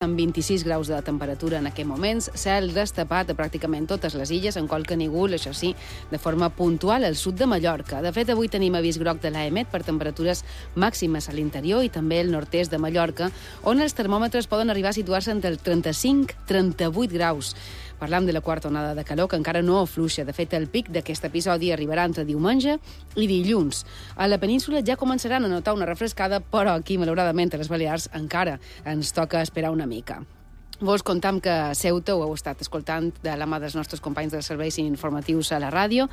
amb 26 graus de temperatura en aquests moments, cel destapat a pràcticament totes les illes, en qualque nígol, això sí, de forma puntual al sud de Mallorca. De fet, avui tenim avís groc de l'AEMET per temperatures màximes a l'interior i també al nord-est de Mallorca, on els termòmetres poden arribar a situar-se entre el 35-38 graus. Parlam de la quarta onada de calor, que encara no afluixa. De fet, el pic d'aquest episodi arribarà entre diumenge i dilluns. A la península ja començaran a notar una refrescada, però aquí, malauradament, a les Balears encara ens toca esperar una mica. Vos contam que a Ceuta, ho heu estat escoltant de la mà dels nostres companys dels serveis informatius a la ràdio,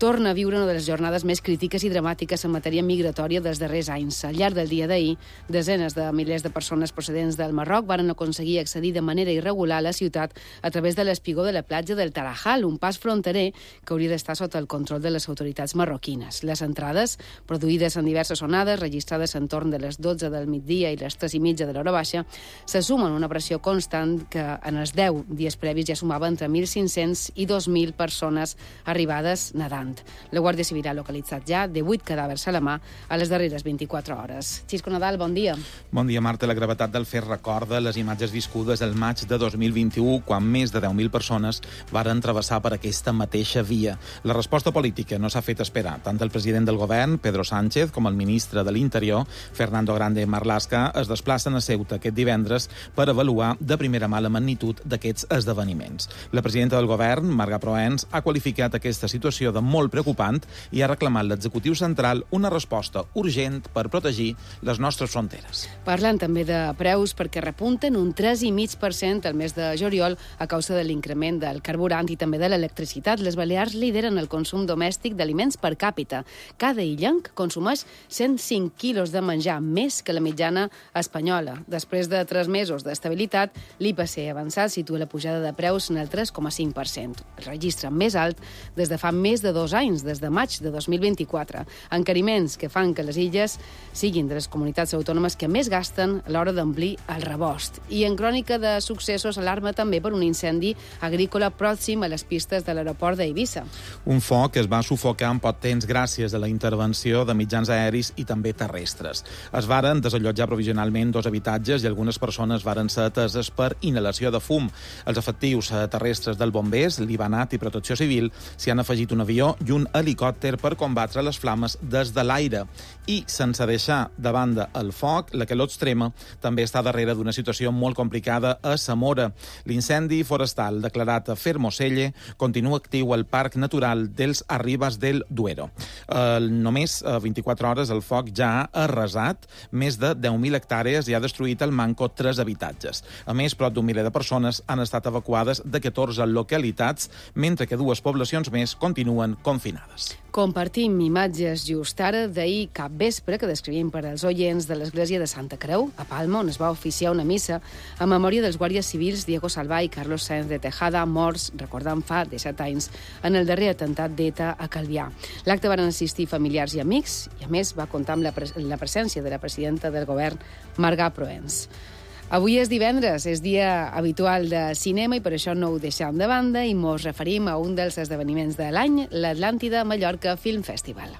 torna a viure una de les jornades més crítiques i dramàtiques en matèria migratòria dels darrers anys. Al llarg del dia d'ahir, desenes de milers de persones procedents del Marroc varen aconseguir accedir de manera irregular a la ciutat a través de l'espigó de la platja del Tarajal, un pas fronterer que hauria d'estar sota el control de les autoritats marroquines. Les entrades, produïdes en diverses onades, registrades entorn de les 12 del migdia i les 3:30 de l'hora baixa, se sumen una pressió constant que en els 10 dies previs ja sumava entre 1.500 i 2.000 persones arribades nedant. La Guàrdia Civil ha localitzat ja 18 cadàvers a la mà a les darreres 24 hores. Xisco Nadal, bon dia. Bon dia, Marta. La gravetat del fet recorda les imatges viscudes el maig de 2021, quan més de 10.000 persones varen travessar per aquesta mateixa via. La resposta política no s'ha fet esperar. Tant el president del govern, Pedro Sánchez, com el ministre de l'Interior, Fernando Grande Marlaska, es desplacen a Ceuta aquest divendres per avaluar de primera mà la magnitud d'aquests esdeveniments. La presidenta del govern, Marga Proens, ha qualificat aquesta situació de molt preocupant i ha reclamat a l'executiu central una resposta urgent per protegir les nostres fronteres. Parlant també de preus, perquè repunten un 3,5% al mes de juliol a causa de l'increment del carburant i també de l'electricitat. Les Balears lideren el consum domèstic d'aliments per càpita. Cada illenc consumeix 105 quilos de menjar, més que la mitjana espanyola. Després de 3 mesos d'estabilitat, l'IPC avançat situa la pujada de preus en el 3,5%, el registre més alt des de fa més de 2 anys, des de maig de 2024. Encariments que fan que les illes siguin de les comunitats autònomes que més gasten a l'hora d'omplir el rebost. I en crònica de successos alarma també per un incendi agrícola pròxim a les pistes de l'aeroport d'Eivissa. Un foc que es va sufocar en poc temps gràcies a la intervenció de mitjans aeris i també terrestres. Es varen desallotjar provisionalment 2 habitatges i algunes persones varen ser ateses per inhalació de fum. Els efectius terrestres del Bombers, l'Ibanat i Protecció Civil s'hi han afegit un avió i un helicòpter per combatre les flames des de l'aire. I, sense deixar de banda el foc, la calor extrema també està darrere d'una situació molt complicada a Zamora. L'incendi forestal declarat a Fermoselle continua actiu al Parc Natural dels Arribas del Duero. Només 24 hores el foc ja ha arrasat més de 10.000 hectàrees i ha destruït al manco 3 habitatges. A més, prop d'un miler de persones han estat evacuades de 14 localitats, mentre que 2 poblacions més continuen confinades. Compartim imatges just ara d'ahir cap vespre que descrivim per als oients de l'església de Santa Creu, a Palma, on es va oficiar una missa a memòria dels guàrdies civils Diego Salvà i Carlos Sáenz de Tejada, morts, recordant fa 17 anys, en el darrer atemptat d'ETA a Calvià. L'acte van assistir familiars i amics i, a més, va comptar amb la presència de la presidenta del govern, Marga Proens. Avui és divendres, és dia habitual de cinema i per això no ho deixem de banda i mos referim a un dels esdeveniments de l'any, l'Atlàntida Mallorca Film Festival.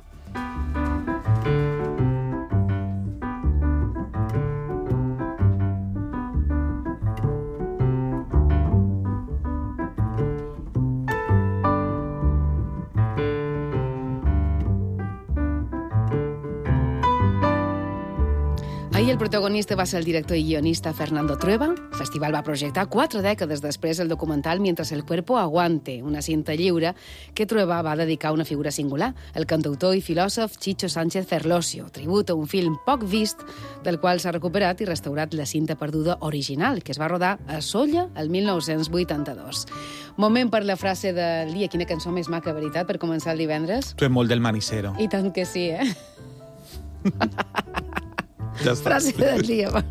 Ahir el protagonista va ser el director i guionista Fernando Trueba. El festival va projectar 4 dècades després el documental Mientras el cuerpo aguante, una cinta lliure que Trueba va dedicar a una figura singular, el cantautor i filòsof Chicho Sánchez Ferlosio, tribut a un film poc vist, del qual s'ha recuperat i restaurat la cinta perduda original, que es va rodar a Sóller el 1982. Moment per la frase del dia. Quina cançó més maca, veritat, per començar el divendres? Tu ets molt del manicero. I tant que sí, eh? Ja està. Frase del dia, va.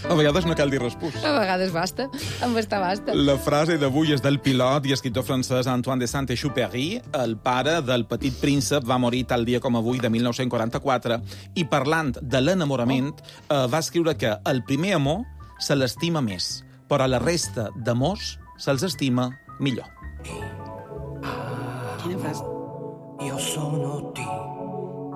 A vegades no cal dir respús. A vegades basta, amb estar basta. La frase d'avui és del pilot i escriptor francès Antoine de Saint-Exupéry. El pare del Petit Príncep va morir tal dia com avui de 1944 i parlant de l'enamorament va escriure que el primer amor se l'estima més, però la resta d'amors se'ls estima millor. Quina frase? Io sono ti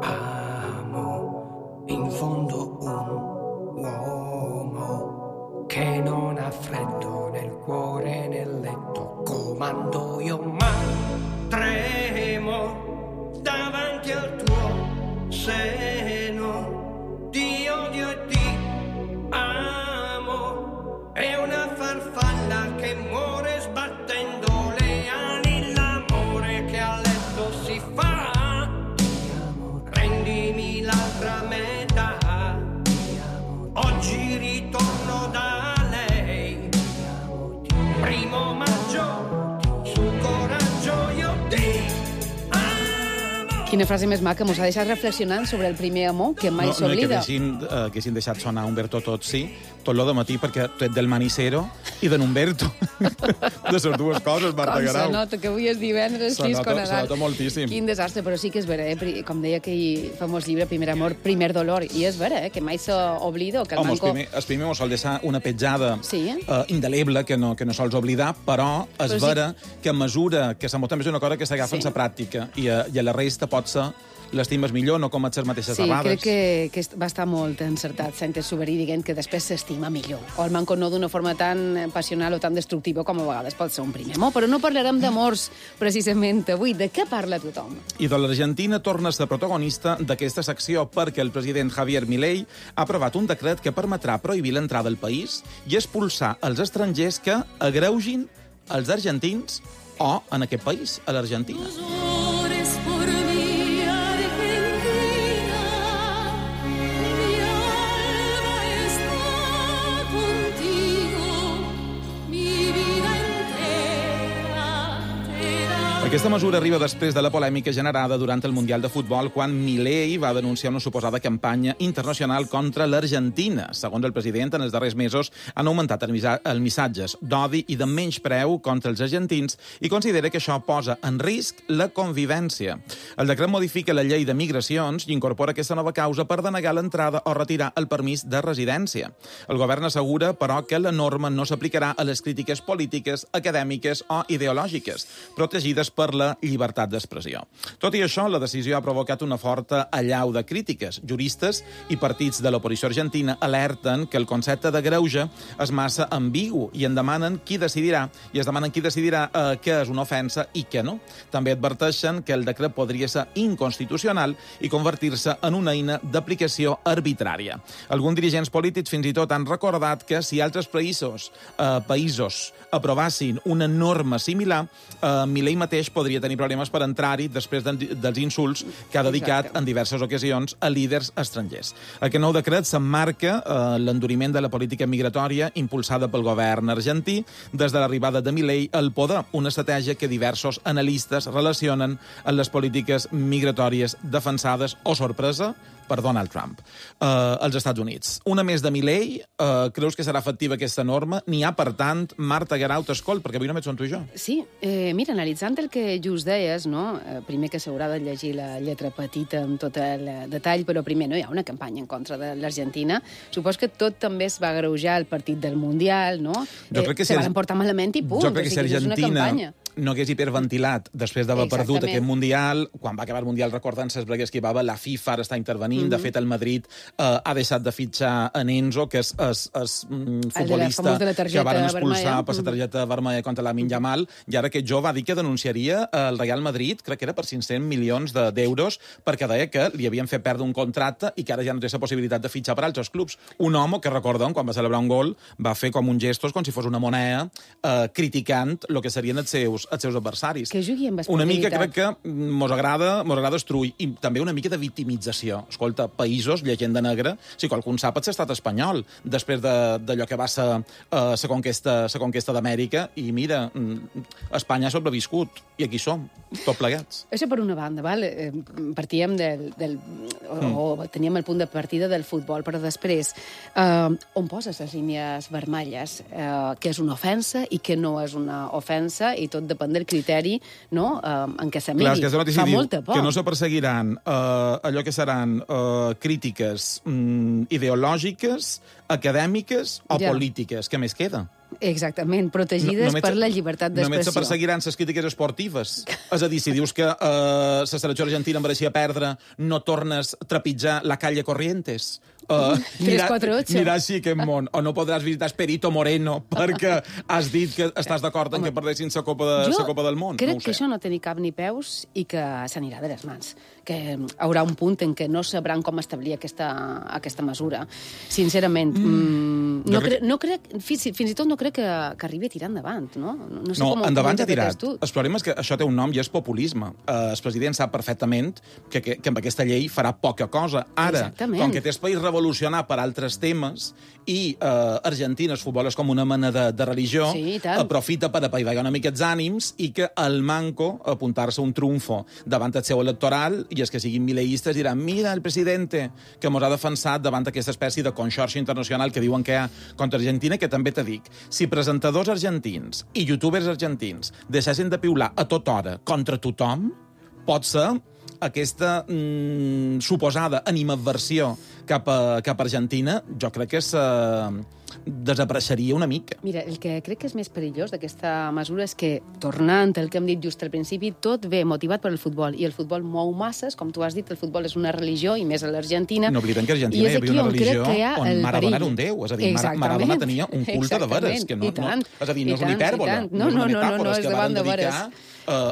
amo in fondo un uomo che non ha freddo nel cuore, nel letto, comando io, ma tremo davanti al tuo seno, ti odio e ti amo, è una farfalla che muore sbattendo le ali, l'amore che a letto si fa, prendimi l'altra metà, oggi ritorno da lei, primo maggio, sul coraggio io ti amo. Quina frase més maca, mos ha deixat reflexionant sobre el primer amor, que mai s'oblida. No, que haguessin deixat sonar Umberto Tozzi tot lo de matí, perquè tu ets del Manicero i de Numberto. De les dues coses, Marta Garau. Com se nota que avui és divendres, Xisco Nadal. Se nota moltíssim. Quin desastre, però sí que és vera, com deia aquell famós llibre, Primer amor, primer dolor, i és vera, que mai s'oblida. Home, el primer mos sol deixar una petjada indeleble que no sols oblidar, però és vera que a mesura que s'amor també és una cosa que s'agafa en la pràctica i a la resta potser l'estimes millor, no com les mateixes errades. Sí, crec que va estar molt encertat Sánchez Soberí dient que després s'estima millor. O el manco no d'una forma tan passional o tan destructiva com a vegades pot ser un primer amor. Però no parlarem d'amors precisament avui. De què parla tothom? I de l'Argentina torna a ser protagonista d'aquesta secció perquè el president Javier Milei ha aprovat un decret que permetrà prohibir l'entrada al país i expulsar els estrangers que agreugin els argentins o, en aquest país, a l'Argentina. Aquesta mesura arriba després de la polèmica generada durant el Mundial de Futbol quan Milei va denunciar una suposada campanya internacional contra l'Argentina. Segons el president, en els darrers mesos han augmentat els missatges d'odi i de menyspreu contra els argentins i considera que això posa en risc la convivència. El decret modifica la llei de migracions i incorpora aquesta nova causa per denegar l'entrada o retirar el permís de residència. El govern assegura, però, que la norma no s'aplicarà a les crítiques polítiques, acadèmiques o ideològiques, protegides per la llibertat d'expressió. Tot i això, la decisió ha provocat una forta allau de crítiques. Juristes i partits de l'oposició argentina alerten que el concepte de greuge és massa ambigu i es demanen qui decidirà què és una ofensa i què no. També adverteixen que el decret podria ser inconstitucional i convertir-se en una eina d'aplicació arbitrària. Alguns dirigents polítics fins i tot han recordat que si altres països aprovassin una norma similar, Milei mateix podria tenir problemes per entrar-hi després dels insults que ha dedicat en diverses ocasions a líders estrangers. Aquest nou decret s'emmarca l'enduriment de la política migratòria impulsada pel govern argentí des de l'arribada de Milei al poder, una estratègia que diversos analistes relacionen amb les polítiques migratòries defensades, o sorpresa, per Donald Trump, als Estats Units. Una més de Milei, creus que serà efectiva aquesta norma? N'hi ha, per tant, Marta Garau, t'escolt, perquè avui només som tu i jo. Sí, mira, analitzant el que just deies, no? Primer que s'haurà de llegir la lletra petita amb tot el detall, però primer no hi ha una campanya en contra de l'Argentina. Supos que tot també es va agreujar al partit del Mundial, no? Jo crec que se van portar malament i punt. Jo crec que si Argentina no hagués hiperventilat després d'haver perdut aquest Mundial, quan va acabar el Mundial, recordant les bregues que hi va haver, la FIFA ara està intervenint. De fet, el Madrid ha deixat de fitxar en Enzo, que és futbolista que van expulsar per la targeta vermella contra Lamine Yamal, i ara aquest jove va dir que denunciaria el Real Madrid, crec que era per 500 milions d'euros, perquè deia que li havien fet perdre un contracte i que ara ja no té la possibilitat de fitxar per altres clubs. Un home que, recordem, quan va celebrar un gol, va fer com un gestos, com si fos una moneda, criticant el que serien els seus adversaris. Que jugui amb esportivitat. Una mica crec que mos agrada destruir, i també una mica de victimització. Escolta, països, llegenda negra, si qualcun sap, és l'estat espanyol, després d'allò que va ser la conquesta d'Amèrica, i mira, Espanya ha sobreviscut, i aquí som, tot plegats. Això per una banda, val? Partíem o teníem el punt de partida del futbol, però després, on poses les línies vermelles? Que és una ofensa i que no és una ofensa, i tot depèn del criteri, no?, en què se miri. Fa molta por. Que no se perseguiran allò que seran crítiques ideològiques, acadèmiques o polítiques. Què més queda? Exactament, protegides per la llibertat d'expressió. Només se perseguiran les crítiques esportives. És a dir, si dius que la selecció argentina mereixia perdre, no tornes a trepitjar la calle Corrientes anirà així aquest món. O no podràs visitar Esperito Moreno perquè has dit que estàs d'acord en que perdessin la Copa del Món. Crec que això no té ni cap ni peus i que s'anirà de les mans. Que hi haurà un punt en què no sabran com establir aquesta mesura. Sincerament, fins i tot no crec que arribi a tirar endavant, no? No, endavant ja ha tirat. El problema és que això té un nom i és populisme. El president sap perfectament que amb aquesta llei farà poca cosa. Ara, com que té el país revolucionar per altres temes i Argentina, el futbol és com una mena de religió, aprofita per apaivagar una mica els ànims i que el manco apuntar-se un triomfo davant el seu electoral i els que siguin mileístes diran mira el presidente que mos ha defensat davant aquesta espècie de conxorxa internacional que diuen que hi ha contra Argentina, que també te dic, si presentadors argentins i youtubers argentins deixessin de piular a tota hora contra tothom, pot ser aquesta suposada animadversió cap a Argentina, jo crec que desapareixeria una mica. Mira, el que crec que és més perillós d'aquesta mesura és que, tornant al que hem dit just al principi, tot ve motivat per el futbol, i el futbol mou masses, com tu has dit, el futbol és una religió, i més a l'Argentina. No oblidem que a Argentina hi havia una religió on Maradona era un déu, és a dir, Maradona tenia un culte de veres, que no, és a dir, no és una hipèrbola, no és una metàfora, és que van dedicar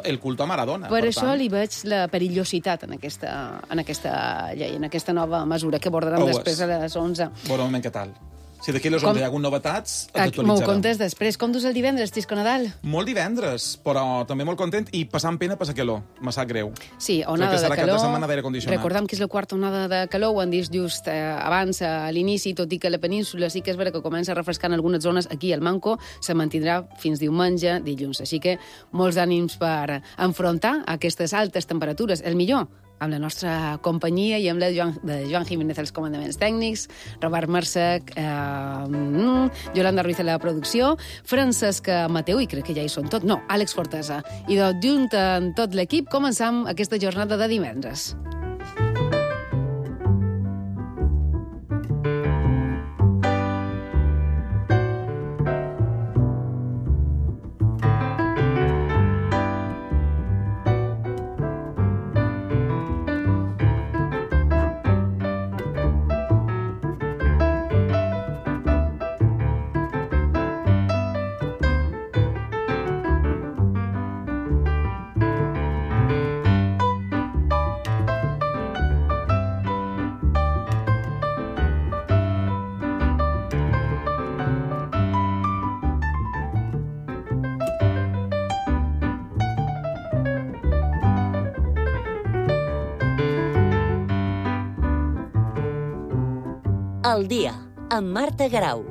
el culte a Maradona. Per això li veig la perillositat en aquesta llei, en aquesta nova mesura que abordarem després a les 11. Bon moment, què tal? Si d'aquí a les 11 hi ha hagut novetats, t'actualitzarem. M'ho contes després. Com dus el divendres, Xisco Nadal? Molt divendres, però també molt content i passant pena per la calor. Me sap greu. Sí, onada de calor. Cap de setmana d'aire condicionat. Recordem que és la quarta onada de calor, ho han dit just abans, a l'inici, tot i que la península sí que és vera que comença a refrescar en algunes zones. Aquí, al Manco, se mantindrà fins diumenge, dilluns. Així que molts ànims per enfrontar aquestes altes temperatures. El millor, amb la nostra companyia i amb la de Joan Jiménez als comandaments tècnics, Robert Marsec, Yolanda Ruiz a la producció, Francesc Mateu, i crec que ja hi són tot, no, Àlex Fortesa. I junt amb tot l'equip començam aquesta jornada de divendres. Al dia, amb Marta Garau.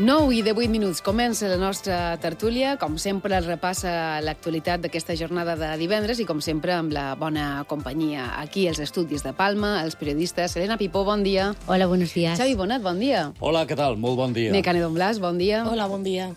Nou i 18 minuts. Comença la nostra tertúlia. Com sempre, es repassa l'actualitat d'aquesta jornada de divendres i, com sempre, amb la bona companyia aquí als estudis de Palma, els periodistes. Elena Pipó, bon dia. Hola, buenos días. Xavi Bonet, bon dia. Hola, què tal? Molt bon dia. Mecane Don Blas, bon dia. Hola, bon dia.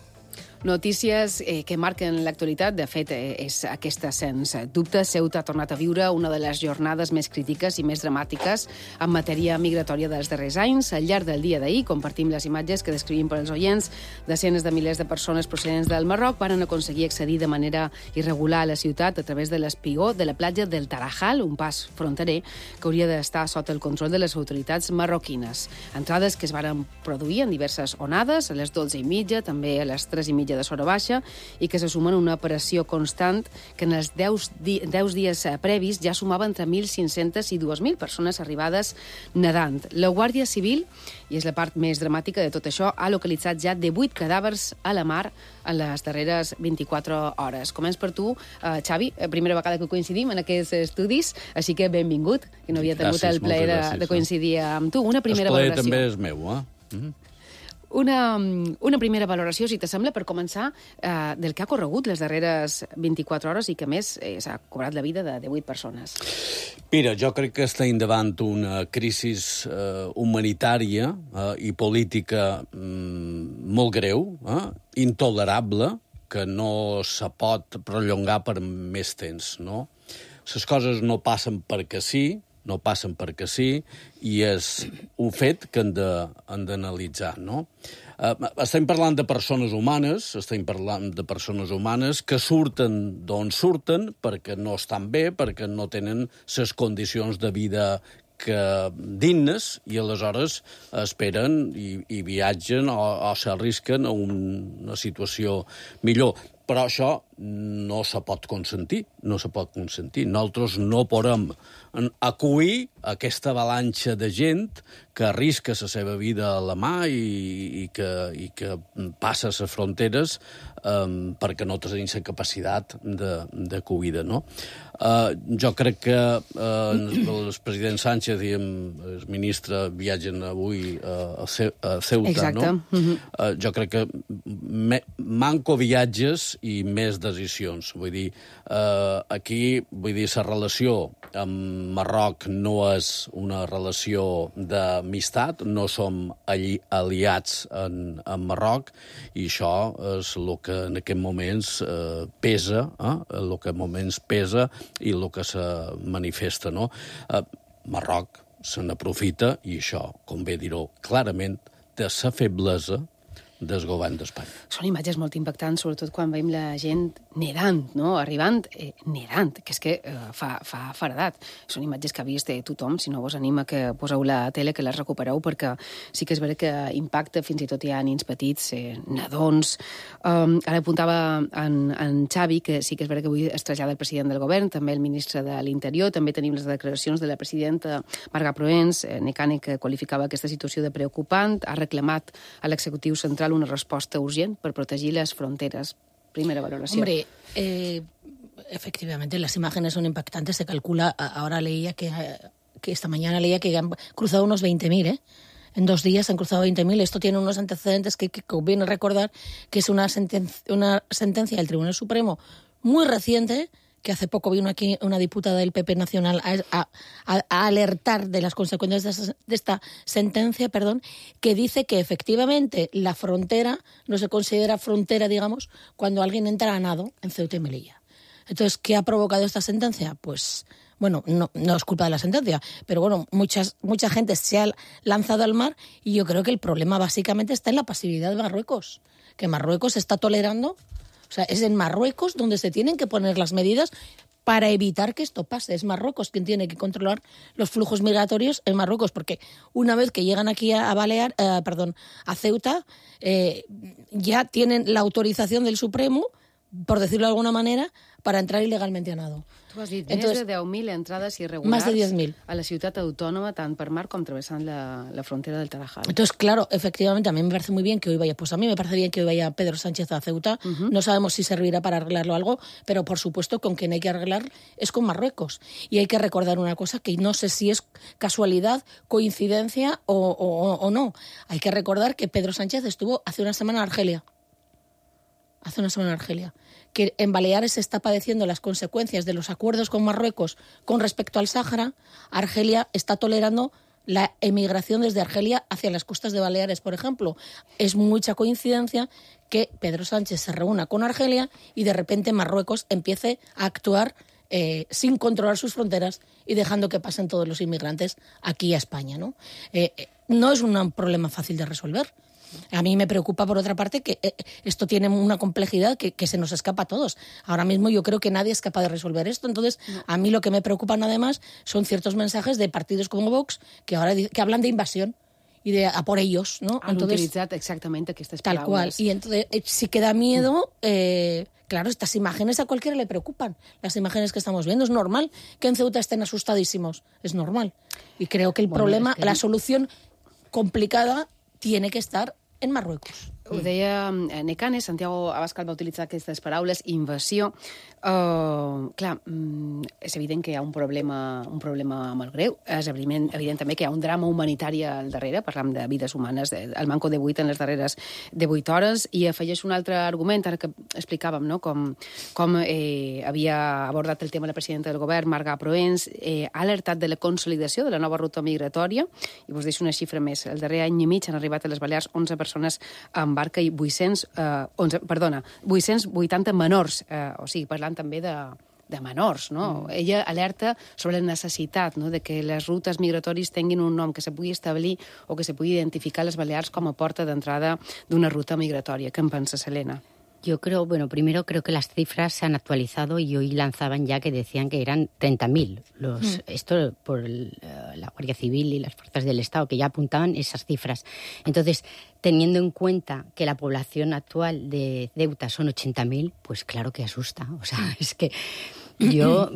Notícies que marquen l'actualitat. De fet, és aquesta, sens dubte. Ceuta ha tornat a viure una de les jornades més crítiques i més dramàtiques en matèria migratòria dels darrers anys. Al llarg del dia d'ahir compartim les imatges que descrivim per als oients. Desenes de milers de persones procedents del Marroc varen aconseguir accedir de manera irregular a la ciutat a través de l'espigó de la platja del Tarajal, un pas fronterer que hauria d'estar sota el control de les autoritats marroquines. Entrades que es varen produir en diverses onades, a les 12:30, també a les 3:30 de Sora Baixa, i que se sumen a una operació constant que en els 10 dies previs ja sumava entre 1.500 i 2.000 persones arribades nedant. La Guàrdia Civil, i és la part més dramàtica de tot això, ha localitzat ja 18 cadàvers a la mar en les darreres 24 hores. Començ per tu, Xavi, primera vegada que coincidim en aquests estudis, així que benvingut, que no havia tingut el plaer de coincidir amb tu. Una primera valoració. El plaer també és meu, eh? Una primera valoració, si t'assembla, per començar, del que ha corregut les darreres 24 hores i que, a més, s'ha cobrat la vida de 18 persones. Mira, jo crec que estem davant una crisi humanitària i política molt greu, intolerable, que no se pot prolongar per més temps, no? les coses no passen perquè sí, i és un fet que hem d'analitzar, no? Estem parlant de persones humanes, que surten d'on surten perquè no estan bé, perquè no tenen les condicions de vida dignes, i aleshores esperen i viatgen o s'arrisquen a una situació millor. Però això no se pot consentir, Nosaltres no podem acollir aquesta avalanxa de gent que arrisca la seva vida a la mà i que passa les fronteres perquè no tenim la capacitat d'acollida, no? Jo crec que el president Sánchez i el ministre viatgen avui a Ceuta, exacte. No? Jo crec que manco viatges i més decisions. Vull dir, aquí, la relació amb Marroc no és una relació d'amistat, no som aliats en Marroc, i això és el que en aquests moments pesa, i el que se manifesta, no? Marroc se n'aprofita, i això, convé dir-ho clarament, de la feblesa del govern d'Espanya. Són imatges molt impactants, sobretot quan veiem la gent nedant, no? Arribant nedant, que és que fa feredat. Són imatges que ha vist tothom, si no vos anima que poseu la tele, que les recupereu, perquè sí que és vera que impacta, fins i tot hi ha nins petits, nadons. Ara apuntava en Xavi, que sí que és vera que avui es trasllada el president del govern, també el ministre de l'Interior, també tenim les declaracions de la presidenta Marga Proens, Necane, que qualificava aquesta situació de preocupant, ha reclamat a l'executiu central una respuesta urgente para proteger las fronteras. Primera valoración. Hombre, efectivamente, las imágenes son impactantes. Se calcula, ahora leía que esta mañana leía que han cruzado unos 20.000, ¿eh? En 2 días han cruzado 20.000. Esto tiene unos antecedentes que conviene recordar, que es una sentencia del Tribunal Supremo muy reciente, que hace poco vino aquí una diputada del PP Nacional a alertar de las consecuencias de esta sentencia, que dice que efectivamente la frontera no se considera frontera, digamos, cuando alguien entra a nado en Ceuta y Melilla. Entonces, ¿qué ha provocado esta sentencia? Pues, bueno, no es culpa de la sentencia, pero bueno, mucha gente se ha lanzado al mar, y yo creo que el problema básicamente está en la pasividad de Marruecos, que Marruecos está tolerando. O sea, es en Marruecos donde se tienen que poner las medidas para evitar que esto pase. Es Marruecos quien tiene que controlar los flujos migratorios en Marruecos, porque una vez que llegan aquí a Ceuta, ya tienen la autorización del Supremo, por decirlo de alguna manera, para entrar ilegalmente a nado. Tu has dit, més de 10.000 entrades irregulars más de 10.000. a la ciutat autònoma, tant per mar com travessant la frontera del Tarajal. Entonces, claro, efectivamente, a mí me parece muy bien que hoy vaya, pues a mí me parece bien que hoy vaya Pedro Sánchez a Ceuta. No sabemos si servirá para arreglarlo algo, pero por supuesto con quien hay que arreglar es con Marruecos. Y hay que recordar una cosa que no sé si es casualidad, coincidencia o no. Hay que recordar que Pedro Sánchez estuvo hace una semana en Argelia. Que en Baleares se está padeciendo las consecuencias de los acuerdos con Marruecos con respecto al Sáhara. Argelia está tolerando la emigración desde Argelia hacia las costas de Baleares, por ejemplo. Es mucha coincidencia que Pedro Sánchez se reúna con Argelia y de repente Marruecos empiece a actuar sin controlar sus fronteras y dejando que pasen todos los inmigrantes aquí a España, ¿no? No es un problema fácil de resolver. A mí me preocupa, por otra parte, que esto tiene una complejidad que se nos escapa a todos. Ahora mismo yo creo que nadie es capaz de resolver esto. Entonces, a mí lo que me preocupan, además, son ciertos mensajes de partidos como Vox que ahora que hablan de invasión y de a por ellos, ¿no? Han utilizado exactamente estas palabras. Tal cual. Y entonces, sí que da miedo... Claro, estas imágenes a cualquiera le preocupan. Las imágenes que estamos viendo, es normal que en Ceuta estén asustadísimos. Es normal. Y creo que el problema, la solución complicada, tiene que estar en Marruecos. Ho deia Necane, Santiago Abascal va utilitzar aquestes paraules, invasió. Clar, és evident que hi ha un problema molt greu. És evident també que hi ha un drama humanitari al darrere. Parlam de vides humanes, el manco de 8 en les darreres de 8 hores. I afegeix un altre argument, ara que explicàvem, no? com havia abordat el tema la presidenta del govern, Marga Proens, ha alertat de la consolidació de la nova ruta migratòria. I vos deixo una xifra més. El darrer any i mig han arribat a les Balears 11 persones amb barca i 880 menors, o sigui, parlant també de de menors, no? Ella alerta sobre la necessitat, no?, de que les rutes migratòries tinguin un nom que se pugui establir o que se pugui identificar les Balears com a porta d'entrada d'una ruta migratòria. Què en pensa, Helena? Yo creo, primero creo que las cifras se han actualizado y hoy lanzaban ya que decían que eran 30.000. Esto por la Guardia Civil y las fuerzas del Estado, que ya apuntaban esas cifras. Entonces, teniendo en cuenta que la población actual de Ceuta son 80.000, pues claro que asusta. O sea, es que yo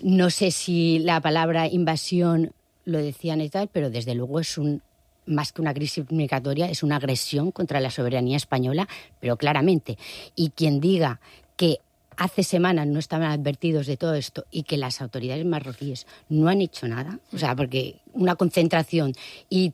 no sé si la palabra invasión lo decían y tal, pero desde luego es más que una crisis migratoria, es una agresión contra la soberanía española, pero claramente. Y quien diga que hace semanas no estaban advertidos de todo esto y que las autoridades marroquíes no han hecho nada, o sea, porque una concentración y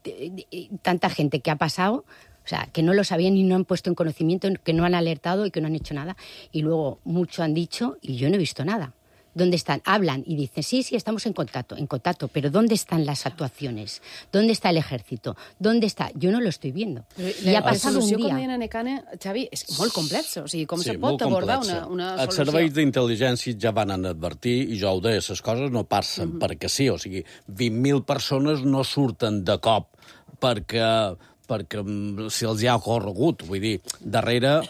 tanta gente que ha pasado, o sea, que no lo sabían y no han puesto en conocimiento, que no han alertado y que no han hecho nada, y luego mucho han dicho y yo no he visto nada. ¿Dónde están? Hablan y dicen, sí, estamos en contacto, pero ¿dónde están las actuacions? ¿Dónde está el ejército? ¿Dónde està? Jo no lo estoy viendo. I ha passat un dia. Com deien a Necane, Xavi, és molt complexa. O sigui, com se pot abordar una solució? Els serveis d'intel·ligència ja van advertir, i jo ho deia, les coses no passen perquè sí. O sigui, 20.000 persones no surten de cop perquè si els hi ha ocorregut. Vull dir, darrere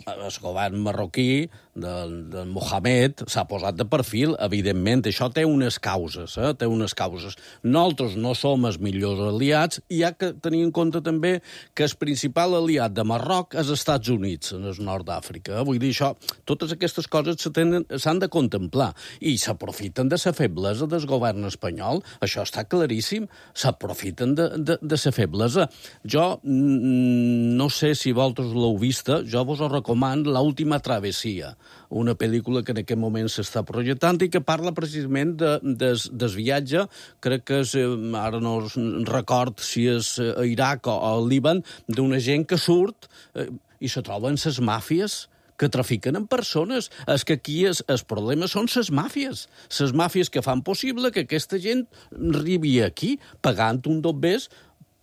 el govern marroquí del Mohamed s'ha posat de perfil, evidentment. Això té unes causes, té unes causes. Nosaltres no som els millors aliats i hi ha que tenir en compte també que el principal aliat de Marroc és els Estats Units, en el nord d'Àfrica. Vull dir, això, totes aquestes coses s'han de contemplar i s'aprofiten de la feblesa del govern espanyol. Això està claríssim. S'aprofiten de la feblesa. Jo no sé si vosaltres l'heu vista, jo vos ho recomano, L'última travessia, una pel·lícula que en aquest moment s'està projectant i que parla precisament del viatge, crec que és, ara no record si és a Iraq o al Líban, d'una gent que surt i se troben les màfies que trafiquen en persones. És que aquí el problema són les màfies que fan possible que aquesta gent arribi aquí pagant un dobbers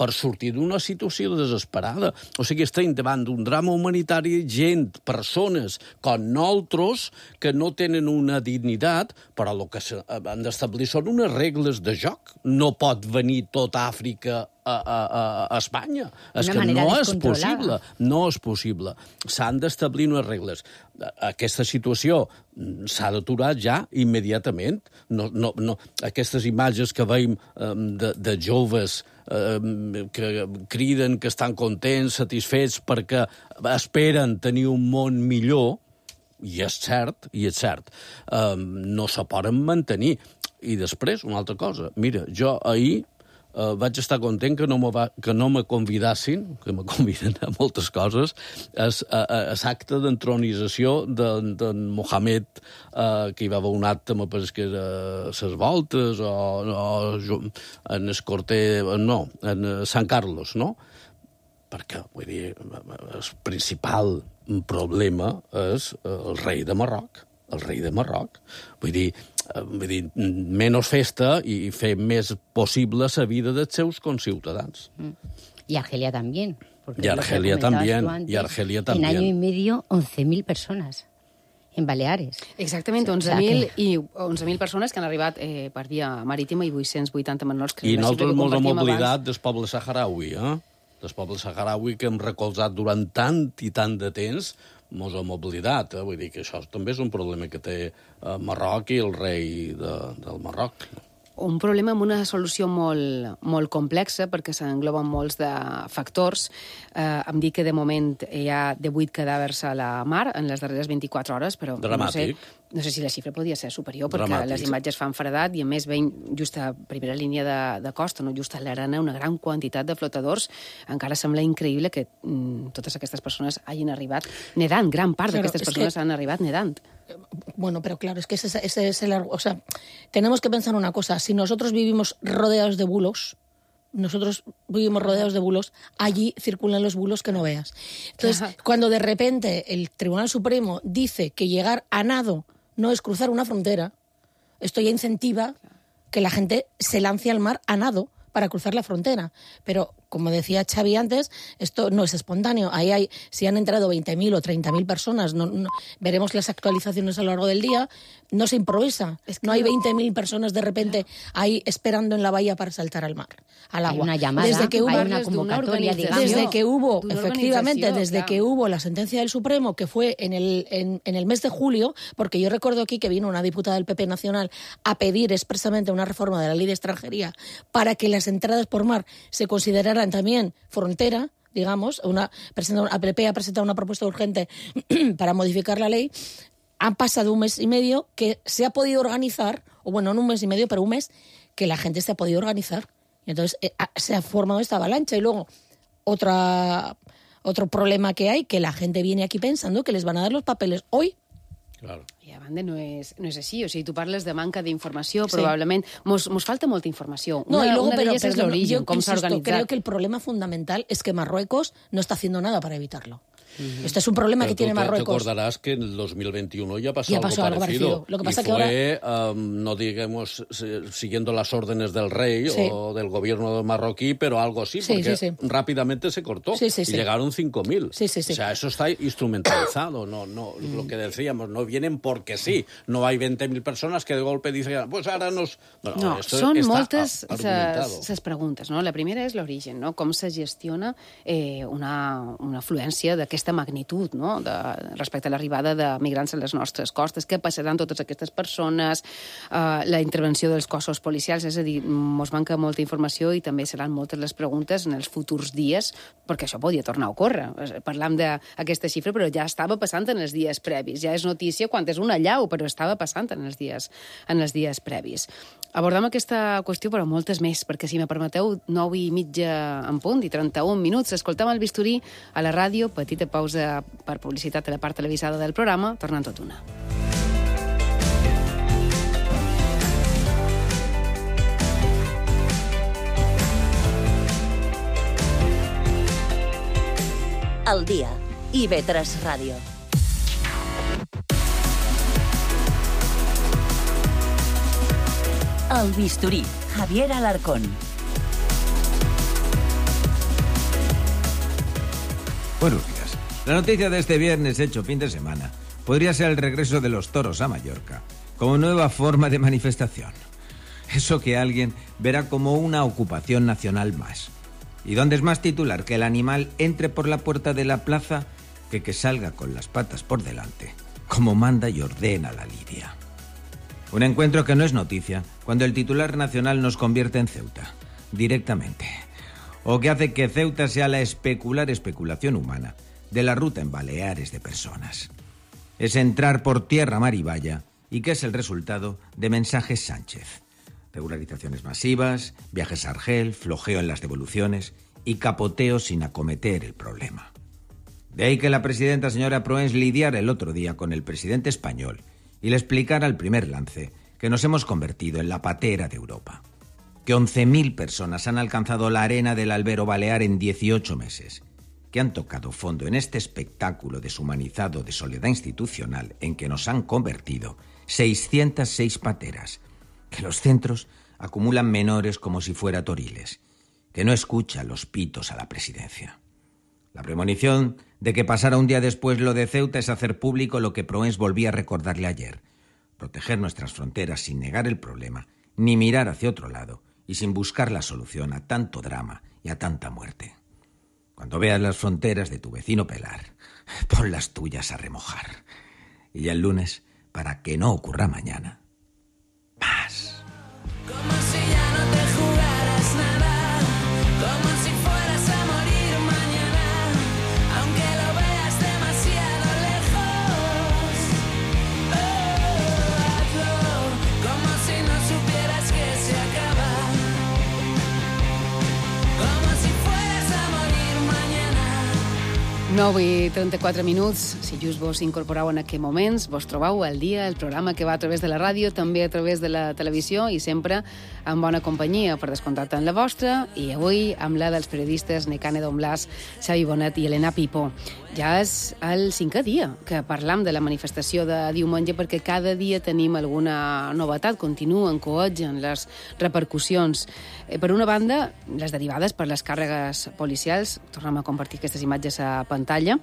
per sortir d'una situació desesperada. O sigui, estem davant d'un drama humanitari, gent, persones com nosaltres, que no tenen una dignitat, però el que han d'establir són unes regles de joc. No pot venir tota Àfrica a Espanya. És que no és possible. No és possible. S'han d'establir unes regles. Aquesta situació s'ha d'aturar ja immediatament. No, aquestes imatges que veiem de joves que criden que estan contents, satisfets, perquè esperen tenir un món millor, i és cert, no se poden mantenir. I després, una altra cosa. Mira, jo ahir vaig estar content que no me convidassin, que me conviden a moltes coses, a l'acte d'entronització d'en Mohamed, que hi va haver un acte, me penso que era ses voltes, o en el Corte... No, en Sant Carlos, no? Perquè, vull dir, el principal problema és el rei de Marroc. Vull dir, menys festa i fer més possible la vida dels seus conciutadans. Y Argelia también. Y Argelia también. En año y medio, 11.000 personas en Baleares. Exactament, 11.000 persones que han arribat per via marítima i 880 menors. I nosaltres ens hem oblidat del poble saharaui, del poble saharaui que hem recolzat durant tant i tant de temps, mos hem oblidat. Vull dir que això també és un problema que té Marroc i el rei del Marroc. Un problema amb una solució molt complexa, perquè s'engloben molts de factors. Em dic que de moment hi ha 18 cadàvers a la mar en les darreres 24 hores, però no sé si la xifra podria ser superior, perquè les imatges fan fredat i, a més, veiem just a primera línia de costa, no just a l'arena, una gran quantitat de flotadors. Encara sembla increïble que totes aquestes persones hagin arribat nedant. Gran part d'aquestes persones han arribat nedant. Bueno, pero claro, es que ese es el... O sea, tenemos que pensar una cosa. Si nosotros vivimos rodeados de bulos, allí circulan los bulos que no veas. Entonces, cuando de repente el Tribunal Supremo dice que llegar a nado no es cruzar una frontera, esto ya incentiva que la gente se lance al mar a nado para cruzar la frontera. Pero como decía Xavi antes, esto no es espontáneo. Si han entrado 20.000 o 30.000 personas, veremos las actualizaciones a lo largo del día, no se improvisa. No hay 20.000 personas de repente ahí esperando en la bahía para saltar al mar, al agua. Hay una llamada, hay una convocatoria, digamos. Desde que hubo, efectivamente, desde que hubo la sentencia del Supremo, que fue en el mes de julio, porque yo recuerdo aquí que vino una diputada del PP Nacional a pedir expresamente una reforma de la ley de extranjería para que las entradas por mar se consideraran también frontera, digamos. PP ha presentado una propuesta urgente para modificar la ley. Han pasado un mes y medio que se ha podido organizar, o bueno, no un mes y medio, pero un mes que la gente se ha podido organizar. Y entonces se ha formado esta avalancha. Y luego otro problema que hay, que la gente viene aquí pensando que les van a dar los papeles hoy. Claro. I a banda no és així. O sigui, tu parles de manca d'informació, probablement mos falta molta informació. Una d'elles és l'origen, com s'ha organitzat. Creo que el problema fundamental es que Marruecos no está haciendo nada para evitarlo. Este es un problema que tiene Marruecos. Te acordarás que en el 2021 ya pasó algo parecido. Lo que pasa y que fue, no digamos, siguiendo las órdenes del rey o del gobierno marroquí, pero algo así, porque rápidamente se cortó y llegaron 5.000. O sea, eso está instrumentalizado. No, lo que decíamos, no vienen porque sí. No hay 20.000 personas que de golpe dicen, pues ahora nos... Bueno, no, són moltes les preguntes. No? La primera és l'origen, no? Com se gestiona una afluència d'aquesta magnitud, no? Respecte a l'arribada de migrants a les nostres costes. Què passaran totes aquestes persones? La intervenció dels cossos policials, és a dir, mos manca molta informació i també seran moltes les preguntes en els futurs dies, perquè això podia tornar a ocórrer. Parlam d'aquesta xifra, però ja estava passant en els dies previs. Ja és notícia quan és una allau, però estava passant en els dies previs. Abordam aquesta qüestió, però moltes més, perquè si me permeteu, 9:30 en punt i 31 minuts. Escoltem el bisturí a la ràdio, petita pausa per publicitat a la part televisada del programa, tornant tot una. Al dia, IB3 Ràdio. El bisturí, Javier Alarcón. Buenos días. La noticia de este viernes hecho fin de semana podría ser el regreso de los toros a Mallorca como nueva forma de manifestación. Eso que alguien verá como una ocupación nacional más. ¿Y dónde es más titular que el animal entre por la puerta de la plaza que salga con las patas por delante, como manda y ordena la lidia? Un encuentro que no es noticia cuando el titular nacional nos convierte en Ceuta, directamente. O que hace que Ceuta sea la especulación humana de la ruta en Baleares de personas. Es entrar por tierra, mar y valla, y que es el resultado de mensajes Sánchez. Regularizaciones masivas, viajes a Argel, flojeo en las devoluciones y capoteo sin acometer el problema. De ahí que la presidenta señora Proens lidiara el otro día con el presidente español y le explicara al primer lance que nos hemos convertido en la patera de Europa. Que 11.000 personas han alcanzado la arena del Albero Balear en 18 meses. Que han tocado fondo en este espectáculo deshumanizado de soledad institucional en que nos han convertido 606 pateras. Que los centros acumulan menores como si fuera toriles. Que no escucha los pitos a la presidencia. La premonición de que pasara un día después lo de Ceuta es hacer público lo que Proens volvía a recordarle ayer. Proteger nuestras fronteras sin negar el problema, ni mirar hacia otro lado y sin buscar la solución a tanto drama y a tanta muerte. Cuando veas las fronteras de tu vecino pelar, pon las tuyas a remojar. Y ya el lunes, para que no ocurra mañana, más. Como si ya no te jugaras nada, como si fueras a morir mañana, aunque lo veas demasiado lejos. Hazlo como si no supieras que se acaba, como si fueras a morir mañana. 9:34 minuts. Si just vos incorporeu en aquests moments, vos trobeu al dia, el programa que va a través de la ràdio, també a través de la televisió i sempre en bona companyia, per descomptat en la vostra, i avui amb la dels periodistes Nekane Don Blas, Xavi Bonet i Elena Pipó. Ja és el 5è dia que parlam de la manifestació de diumenge perquè cada dia tenim alguna novetat, continuen, coetgen les repercussions. Per una banda, les derivades per les càrregues policials, tornem a compartir aquestes imatges a pantalla.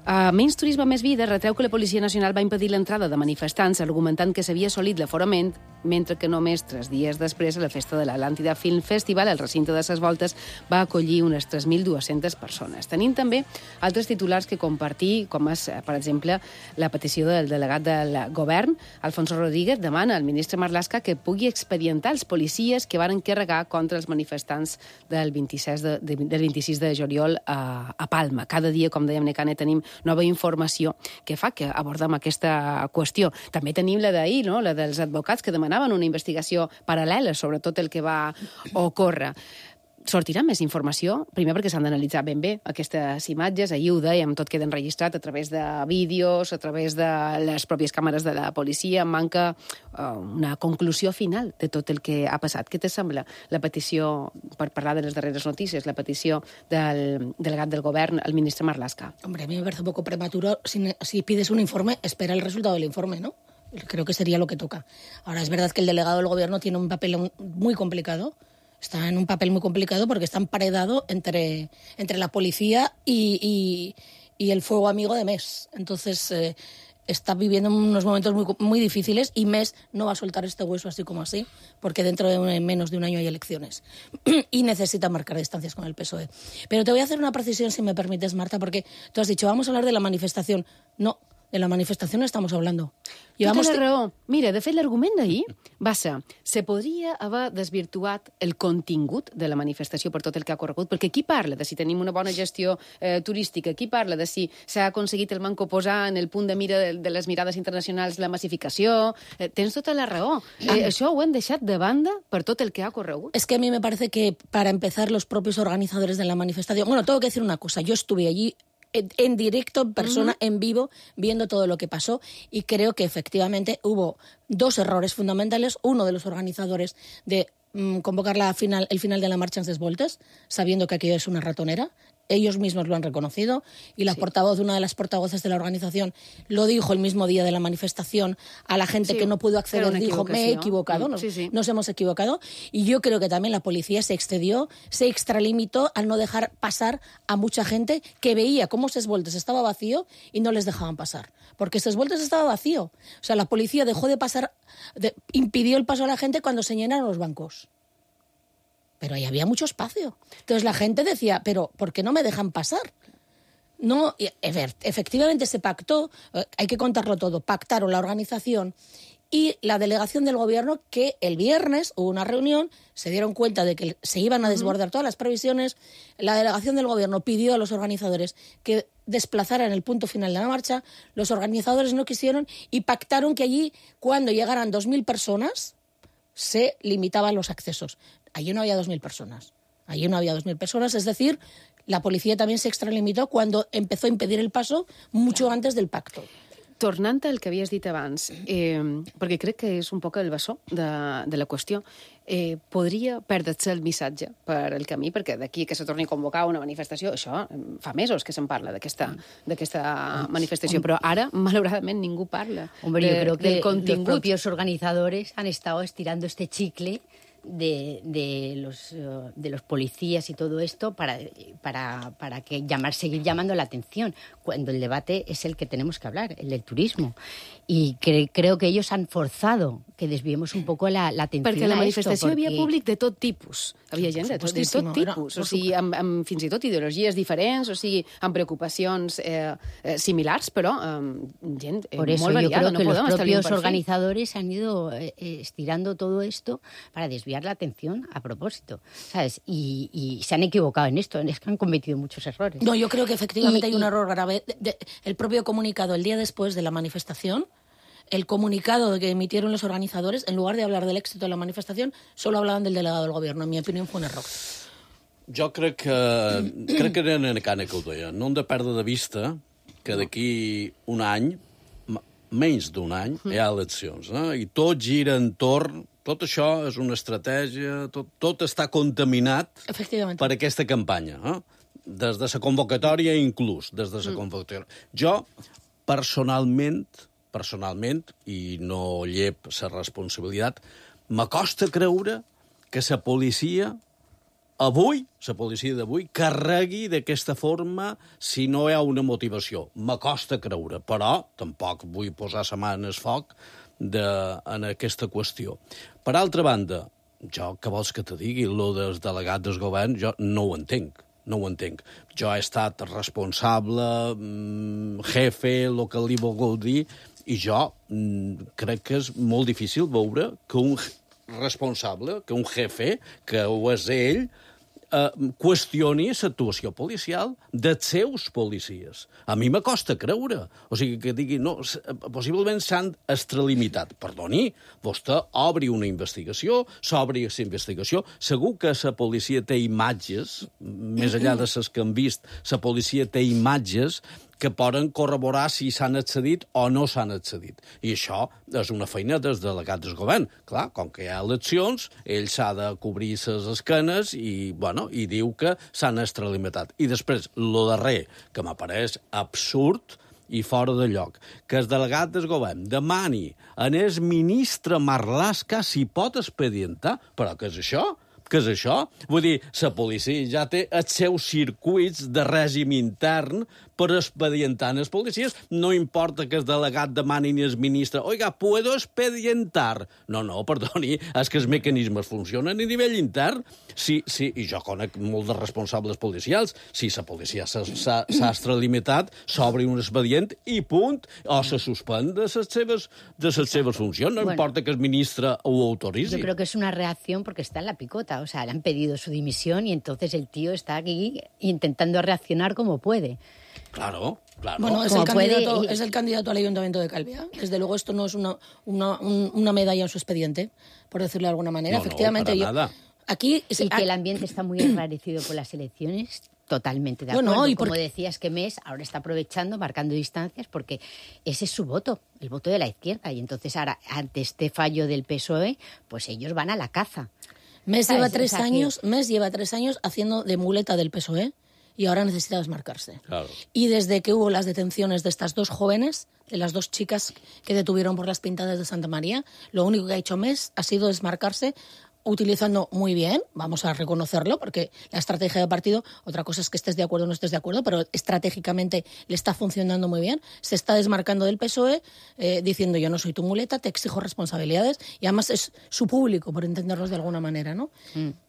Menys Turisme, Més Vida retreu que la Policia Nacional va impedir l'entrada de manifestants argumentant que s'havia assolit l'aforament, mentre que només 3 dies després a la festa de l'Atlàntida Film Festival, el recinte de ses Voltes va acollir unes 3.200 persones. Tenim també altres titulars que compartir, com és, per exemple, la petició del delegat del govern, Alfonso Rodríguez, demana al ministre Marlaska que pugui expedientar els policies que van carregar contra els manifestants del 26 de juliol a Palma. Cada dia, com dèiem, Necane, tenim nova informació que fa que abordem aquesta qüestió. També tenim la d'ahir, no? La dels advocats que demanaven una investigació paral·lela sobre tot el que va ocórrer. Sortirà més informació, primer perquè s'han d'analitzar ben bé aquestes imatges, ahir ho dèiem, tot queda enregistrat a través de vídeos, a través de les pròpies càmeres de la policia, manca una conclusió final de tot el que ha passat. Què te sembla la petició, per parlar de les darreres notícies, la petició del delegat del govern, el ministre Marlaska? Hombre, a mí me parece un poco prematuro. Si pides un informe, espera el resultado del informe, ¿no? Creo que sería lo que toca. Ahora, es verdad que el delegado del gobierno tiene un papel muy complicado. Está en un papel muy complicado porque está emparedado entre la policía y el fuego amigo de MES. Entonces, está viviendo unos momentos muy difíciles y MES no va a soltar este hueso así como así, porque dentro de menos de un año hay elecciones y necesita marcar distancias con el PSOE. Pero te voy a hacer una precisión, si me permites, Marta, porque tú has dicho, vamos a hablar de la manifestación. No, de la manifestación no estamos hablando. Tota la raó. Mira, de fet, l'argument d'ahir va ser se podria haver desvirtuat el contingut de la manifestació per tot el que ha corregut, perquè qui parla de si tenim una bona gestió turística, qui parla de si s'ha aconseguit el manco posar en el punt de mira de les mirades internacionals la massificació, tens tota la raó. Això ho hem deixat de banda per tot el que ha corregut. Es que a mí me parece que, para empezar, los propios organizadores de la manifestación... Bueno, tengo que decir una cosa. Yo estuve allí en directo, en persona, en vivo, viendo todo lo que pasó, y creo que efectivamente hubo 2 errores fundamentales. Uno de los organizadores de convocar el final de la marcha en ses Voltes, sabiendo que aquello es una ratonera. Ellos mismos lo han reconocido, y la portavoz, una de las portavoces de la organización, lo dijo el mismo día de la manifestación a la gente que no pudo acceder, dijo, me he equivocado, nos hemos equivocado, y yo creo que también la policía se excedió, se extralimitó al no dejar pasar a mucha gente que veía cómo ses Voltes estaba vacío y no les dejaban pasar, porque ses Voltes estaba vacío. O sea, la policía dejó de pasar, impidió el paso a la gente cuando se llenaron los bancos. Pero ahí había mucho espacio. Entonces la gente decía, pero ¿por qué no me dejan pasar? No, efectivamente se pactó, hay que contarlo todo, pactaron la organización y la delegación del gobierno, que el viernes hubo una reunión, se dieron cuenta de que se iban a desbordar todas las previsiones, la delegación del gobierno pidió a los organizadores que desplazaran el punto final de la marcha, los organizadores no quisieron y pactaron que allí, cuando llegaran 2.000 personas, se limitaban los accesos. Allí no había 2.000 personas. Allí no había 2.000 personas, es decir, la policía también se extralimitó cuando empezó a impedir el paso mucho antes del pacto. Tornant al que havies dit abans, perquè crec que és un poc el bessó de la qüestió, podria perdre-se el missatge per el camí, perquè d'aquí que se torni a convocar una manifestació, això fa mesos que se'n parla d'aquesta manifestació, però ara, malauradament, ningú parla. Hombre, yo creo que los propios organizadores han estado estirando este chicle de los policías y todo esto para seguir llamando la atención, cuando el debate es el que tenemos que hablar, el del turismo. Y creo que ells han forzado que desviemos un poco la atenció a esto. Perquè a la manifestació hi havia públic de tot tipus. Havia gent de tot tipus, o sigui, amb fins i tot ideologies diferents, o sigui, amb preocupacions similars, però gent molt variada. Por eso yo creo que los propios organizadores han ido estirando todo esto para desviar la atención a propósito, ¿sabes? Y se han equivocado en esto, es que han cometido muchos errores. No, yo creo que efectivamente hay un error grave. El propio comunicado el día después de la manifestación, el comunicado que emitieron los organizadores, en lugar de hablar del éxito de la manifestación, solo hablaban del delegado del gobierno. En mi opinión, fue un error. Jo crec que era Necane que ho deia. No hem de perdre de vista que d'aquí un any, menys d'un any, hi ha eleccions. I tot gira entorn... Tot això és una estratègia, tot està contaminat per aquesta campanya. des de la convocatòria inclús, des de la convocatòria. Jo, personalment, i no llep la responsabilitat, m'acosta creure que la policia d'avui carregui d'aquesta forma si no hi ha una motivació. M'acosta creure, però tampoc vull posar la mà en el foc en aquesta qüestió. Per altra banda, jo, què vols que te digui? Lo dels delegats del govern, jo no ho entenc. Jo he estat responsable, jefe, el que li vulgueu dir, i jo crec que és molt difícil veure que un responsable, que un jefe, que ho és ell, qüestioni l'actuació policial dels seus policies. A mi m'acosta creure. O sigui, que digui, no, possiblement s'han extralimitat. Perdoni, vostè obri una investigació, s'obri aquesta investigació, segur que la policia té imatges, més enllà de les que han vist, la policia té imatges que poden corroborar si s'han accedit o no s'han accedit. I això és una feina dels delegats del govern. Clar, com que hi ha eleccions, ell s'ha de cobrir les esquenes i diu que s'han extralimitat. I després, lo darrer, que m'apareix absurd i fora de lloc, que el delegat del govern demani a el ministre Marlaska si pot expedientar. Però què és això? Què és això? Vull dir, la policia ja té els seus circuits de règim intern per expedientar els policies. No importa que el delegat demani al ministre «Oiga, ¿puedo expedientar?» No, perdoni, és que els mecanismes funcionen a nivell intern. Sí, i jo conec molts de responsables policials. Si la policia s'ha extralimitat, s'obre un expedient i punt, o se suspèn de les seves funcions. No importa que el ministre ho autoritzi. Yo creo que es una reacción porque está en la picota. O sea, le han pedido su dimisión y entonces el tío está aquí intentando reaccionar como puede. Claro. Bueno, es el candidato al Ayuntamiento de Calviá. Desde luego esto no es una medalla en su expediente, por decirlo de alguna manera. No, efectivamente, para nada. Aquí y que el ambiente está muy enrarecido por las elecciones. Totalmente de acuerdo. Bueno, y como decías, que Mes ahora está aprovechando, marcando distancias, porque ese es su voto, el voto de la izquierda. Y entonces ahora, ante este fallo del PSOE, pues ellos van a la caza. Mes lleva 3 años haciendo de muleta del PSOE y ahora necesita desmarcarse. Claro. Y desde que hubo las detenciones de estas 2 jóvenes, de las 2 chicas que detuvieron por las pintadas de Santa María, lo único que ha hecho Mes ha sido desmarcarse, utilizando muy bien, vamos a reconocerlo, porque la estrategia de partido, otra cosa es que estés de acuerdo o no estés de acuerdo, pero estratégicamente le está funcionando muy bien, se está desmarcando del PSOE, diciendo yo no soy tu muleta, te exijo responsabilidades, y además es su público, por entendernos de alguna manera, ¿no?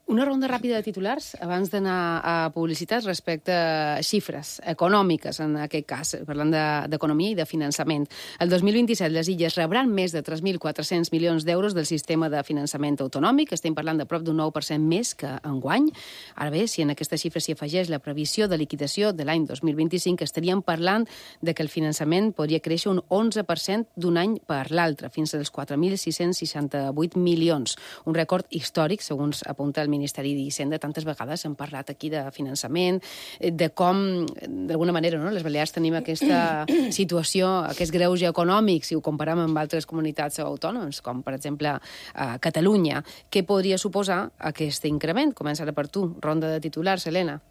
Una ronda ràpida de titulars abans d'anar a publicitat respecte a xifres econòmiques, en aquest cas, parlant d'economia i de finançament. El 2027 les Illes rebran més de 3.400 milions d'euros del sistema de finançament autonòmic. Estem parlant de prop d'un 9% més que enguany. Ara bé, si en aquesta xifra s'hi afegeix la previsió de liquidació de l'any 2025, estaríem parlant de que el finançament podria créixer un 11% d'un any per l'altre, fins als 4.668 milions. Un rècord històric, segons apunta el Ministeri d'Hisenda. Tantes vegades hem parlat aquí de finançament, de com, d'alguna manera, no? Les Balears tenim aquesta situació, aquest greuge econòmic, si ho comparem amb altres comunitats autònomes, com per exemple Catalunya. Què podria suposar aquest increment? Comença ara per tu. Ronda de titulars, Elena.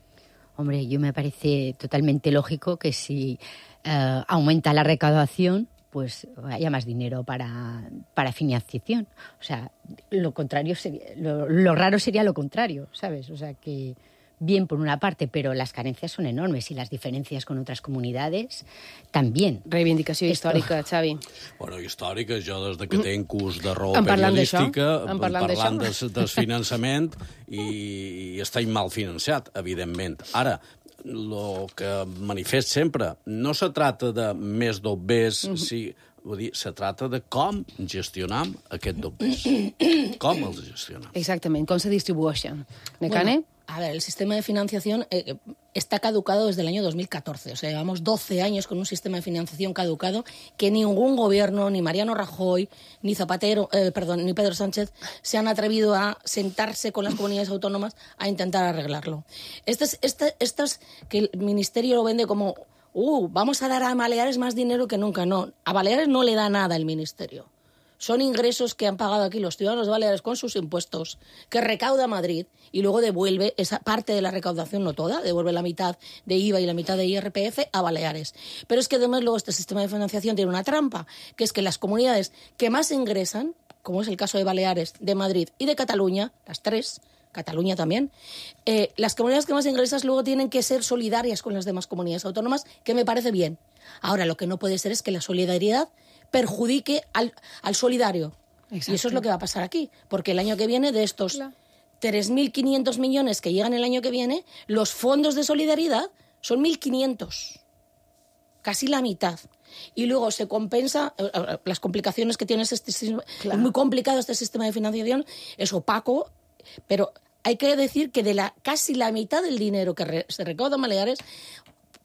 Hombre, yo me parece totalmente lógico que si aumenta la recaudación, pues haya más dinero para financiación. O sea, lo contrario sería, lo raro sería lo contrario, ¿sabes? O sea, que bien por una parte, pero las carencias son enormes y las diferencias con otras comunidades también. Reivindicació històrica, Xavi. Bueno, històrica, jo des que tenc curs de raó periodística, parlant del finançament i estem mal financiat, evidentment. Ara, el que manifest sempre, no se trata de més dobbers, vull dir, se trata de com gestionam aquest dobbers. Com els gestionam. Exactament, com se distribueixen. Necane? Bueno, a ver, el sistema de financiación está caducado desde el año 2014. O sea, llevamos 12 años con un sistema de financiación caducado que ningún gobierno, ni Mariano Rajoy, ni ni Pedro Sánchez, se han atrevido a sentarse con las comunidades autónomas a intentar arreglarlo. Estas que el Ministerio lo vende como vamos a dar a Baleares más dinero que nunca. No, a Baleares no le da nada el Ministerio. son ingresos que han pagado aquí los ciudadanos de Baleares con sus impuestos, que recauda Madrid y luego devuelve esa parte de la recaudación, no toda, devuelve la mitad de IVA y la mitad de IRPF a Baleares. Pero es que además luego este sistema de financiación tiene una trampa, que es que las comunidades que más ingresan, como es el caso de Baleares, de Madrid y de Cataluña, las tres, Cataluña también, las comunidades que más ingresan luego tienen que ser solidarias con las demás comunidades autónomas, que me parece bien. Ahora, lo que no puede ser es que la solidaridad perjudique al solidario. Exacto. Y eso es lo que va a pasar aquí, porque el año que viene, de estos 3.500 millones que llegan el año que viene, los fondos de solidaridad son 1.500, casi la mitad. Y luego se compensa las complicaciones que tiene este sistema. Es muy complicado este sistema de financiación, es opaco, pero hay que decir que de casi la mitad del dinero que se recauda en Baleares,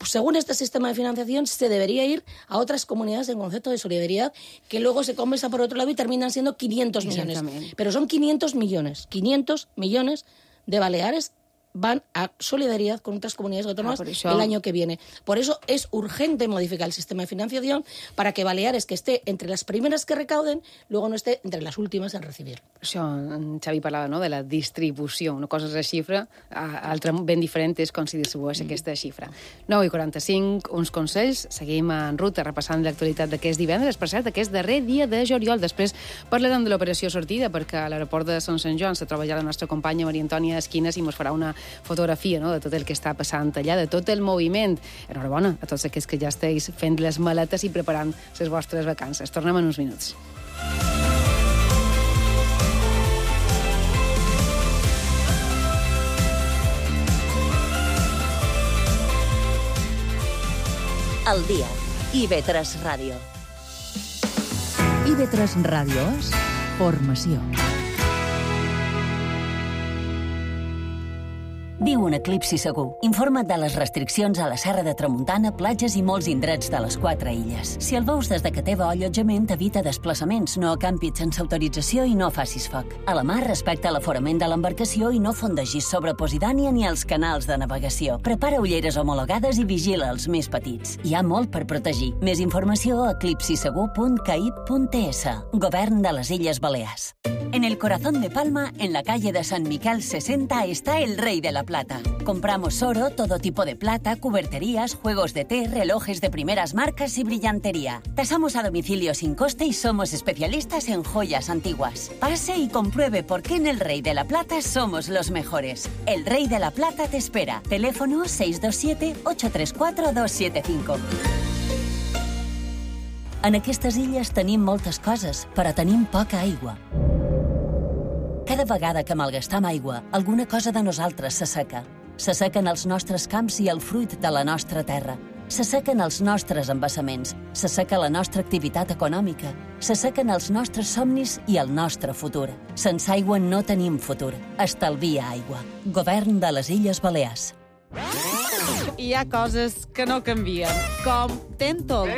según este sistema de financiación, se debería ir a otras comunidades en concepto de solidaridad, que luego se compensa por otro lado y terminan siendo 500 millones. Pero son 500 millones. 500 millones de Baleares van a solidaridad con otras comunidades autónomas el año que viene. Por eso es urgente modificar el sistema de financiación para que Baleares, que esté entre les primeres que recauden, luego no esté entre les últimes en recibir. Això, en Xavi parlava, no?, de la distribució. Una cosa és la xifra, altra ben diferent és com si distribueix aquesta xifra. 9:45, uns consells. Seguim en ruta repassant l'actualitat d'aquest divendres. Per cert, aquest darrer dia de juliol. Després parlarem de l'operació sortida, perquè a l'aeroport de Sant Joan se troba ja la nostra companya Maria Antònia Esquinas i ens farà una fotografia, no?, de tot el que està passant allà, de tot el moviment. Enhorabona a tots aquests que ja esteu fent les maletes i preparant les vostres vacances. Tornem en uns minuts. Al dia. IB3 Ràdio. IB3 Ràdio és formació. Viu un eclipsi segur. Informa't de les restriccions a la Serra de Tramuntana, platges i molts indrets de les 4 illes. Si el veus des de que teva allotjament, evita desplaçaments, no acampis sense autorització i no facis foc. A la mar, respecta l'aforament de l'embarcació i no fondegis sobre Posidània ni els canals de navegació. Prepara ulleres homologades i vigila els més petits. Hi ha molt per protegir. Més informació a eclipsisegur.caip.es. Govern de les Illes Balears. En el corazón de Palma, en la calle de San Miquel 60, está el Rey de la Plata. Compramos oro, todo tipo de plata, cuberterías, juegos de té, relojes de primeras marcas y brillantería. Tasamos a domicilio sin coste y somos especialistas en joyas antiguas. Pase y compruebe por qué en el Rey de la Plata somos los mejores. El Rey de la Plata te espera. Teléfono 627-834-275. En aquestes illes tenim moltes coses, però tenim poca aigua. Cada vegada que malgastam aigua, alguna cosa de nosaltres s'asseca. S'assequen els nostres camps i el fruit de la nostra terra. S'assequen els nostres embassaments. S'asseca la nostra activitat econòmica. S'assequen els nostres somnis i el nostre futur. Sense aigua no tenim futur. Estalvia aigua. Govern de les Illes Balears. Hi ha coses que no canvien, com Tentol.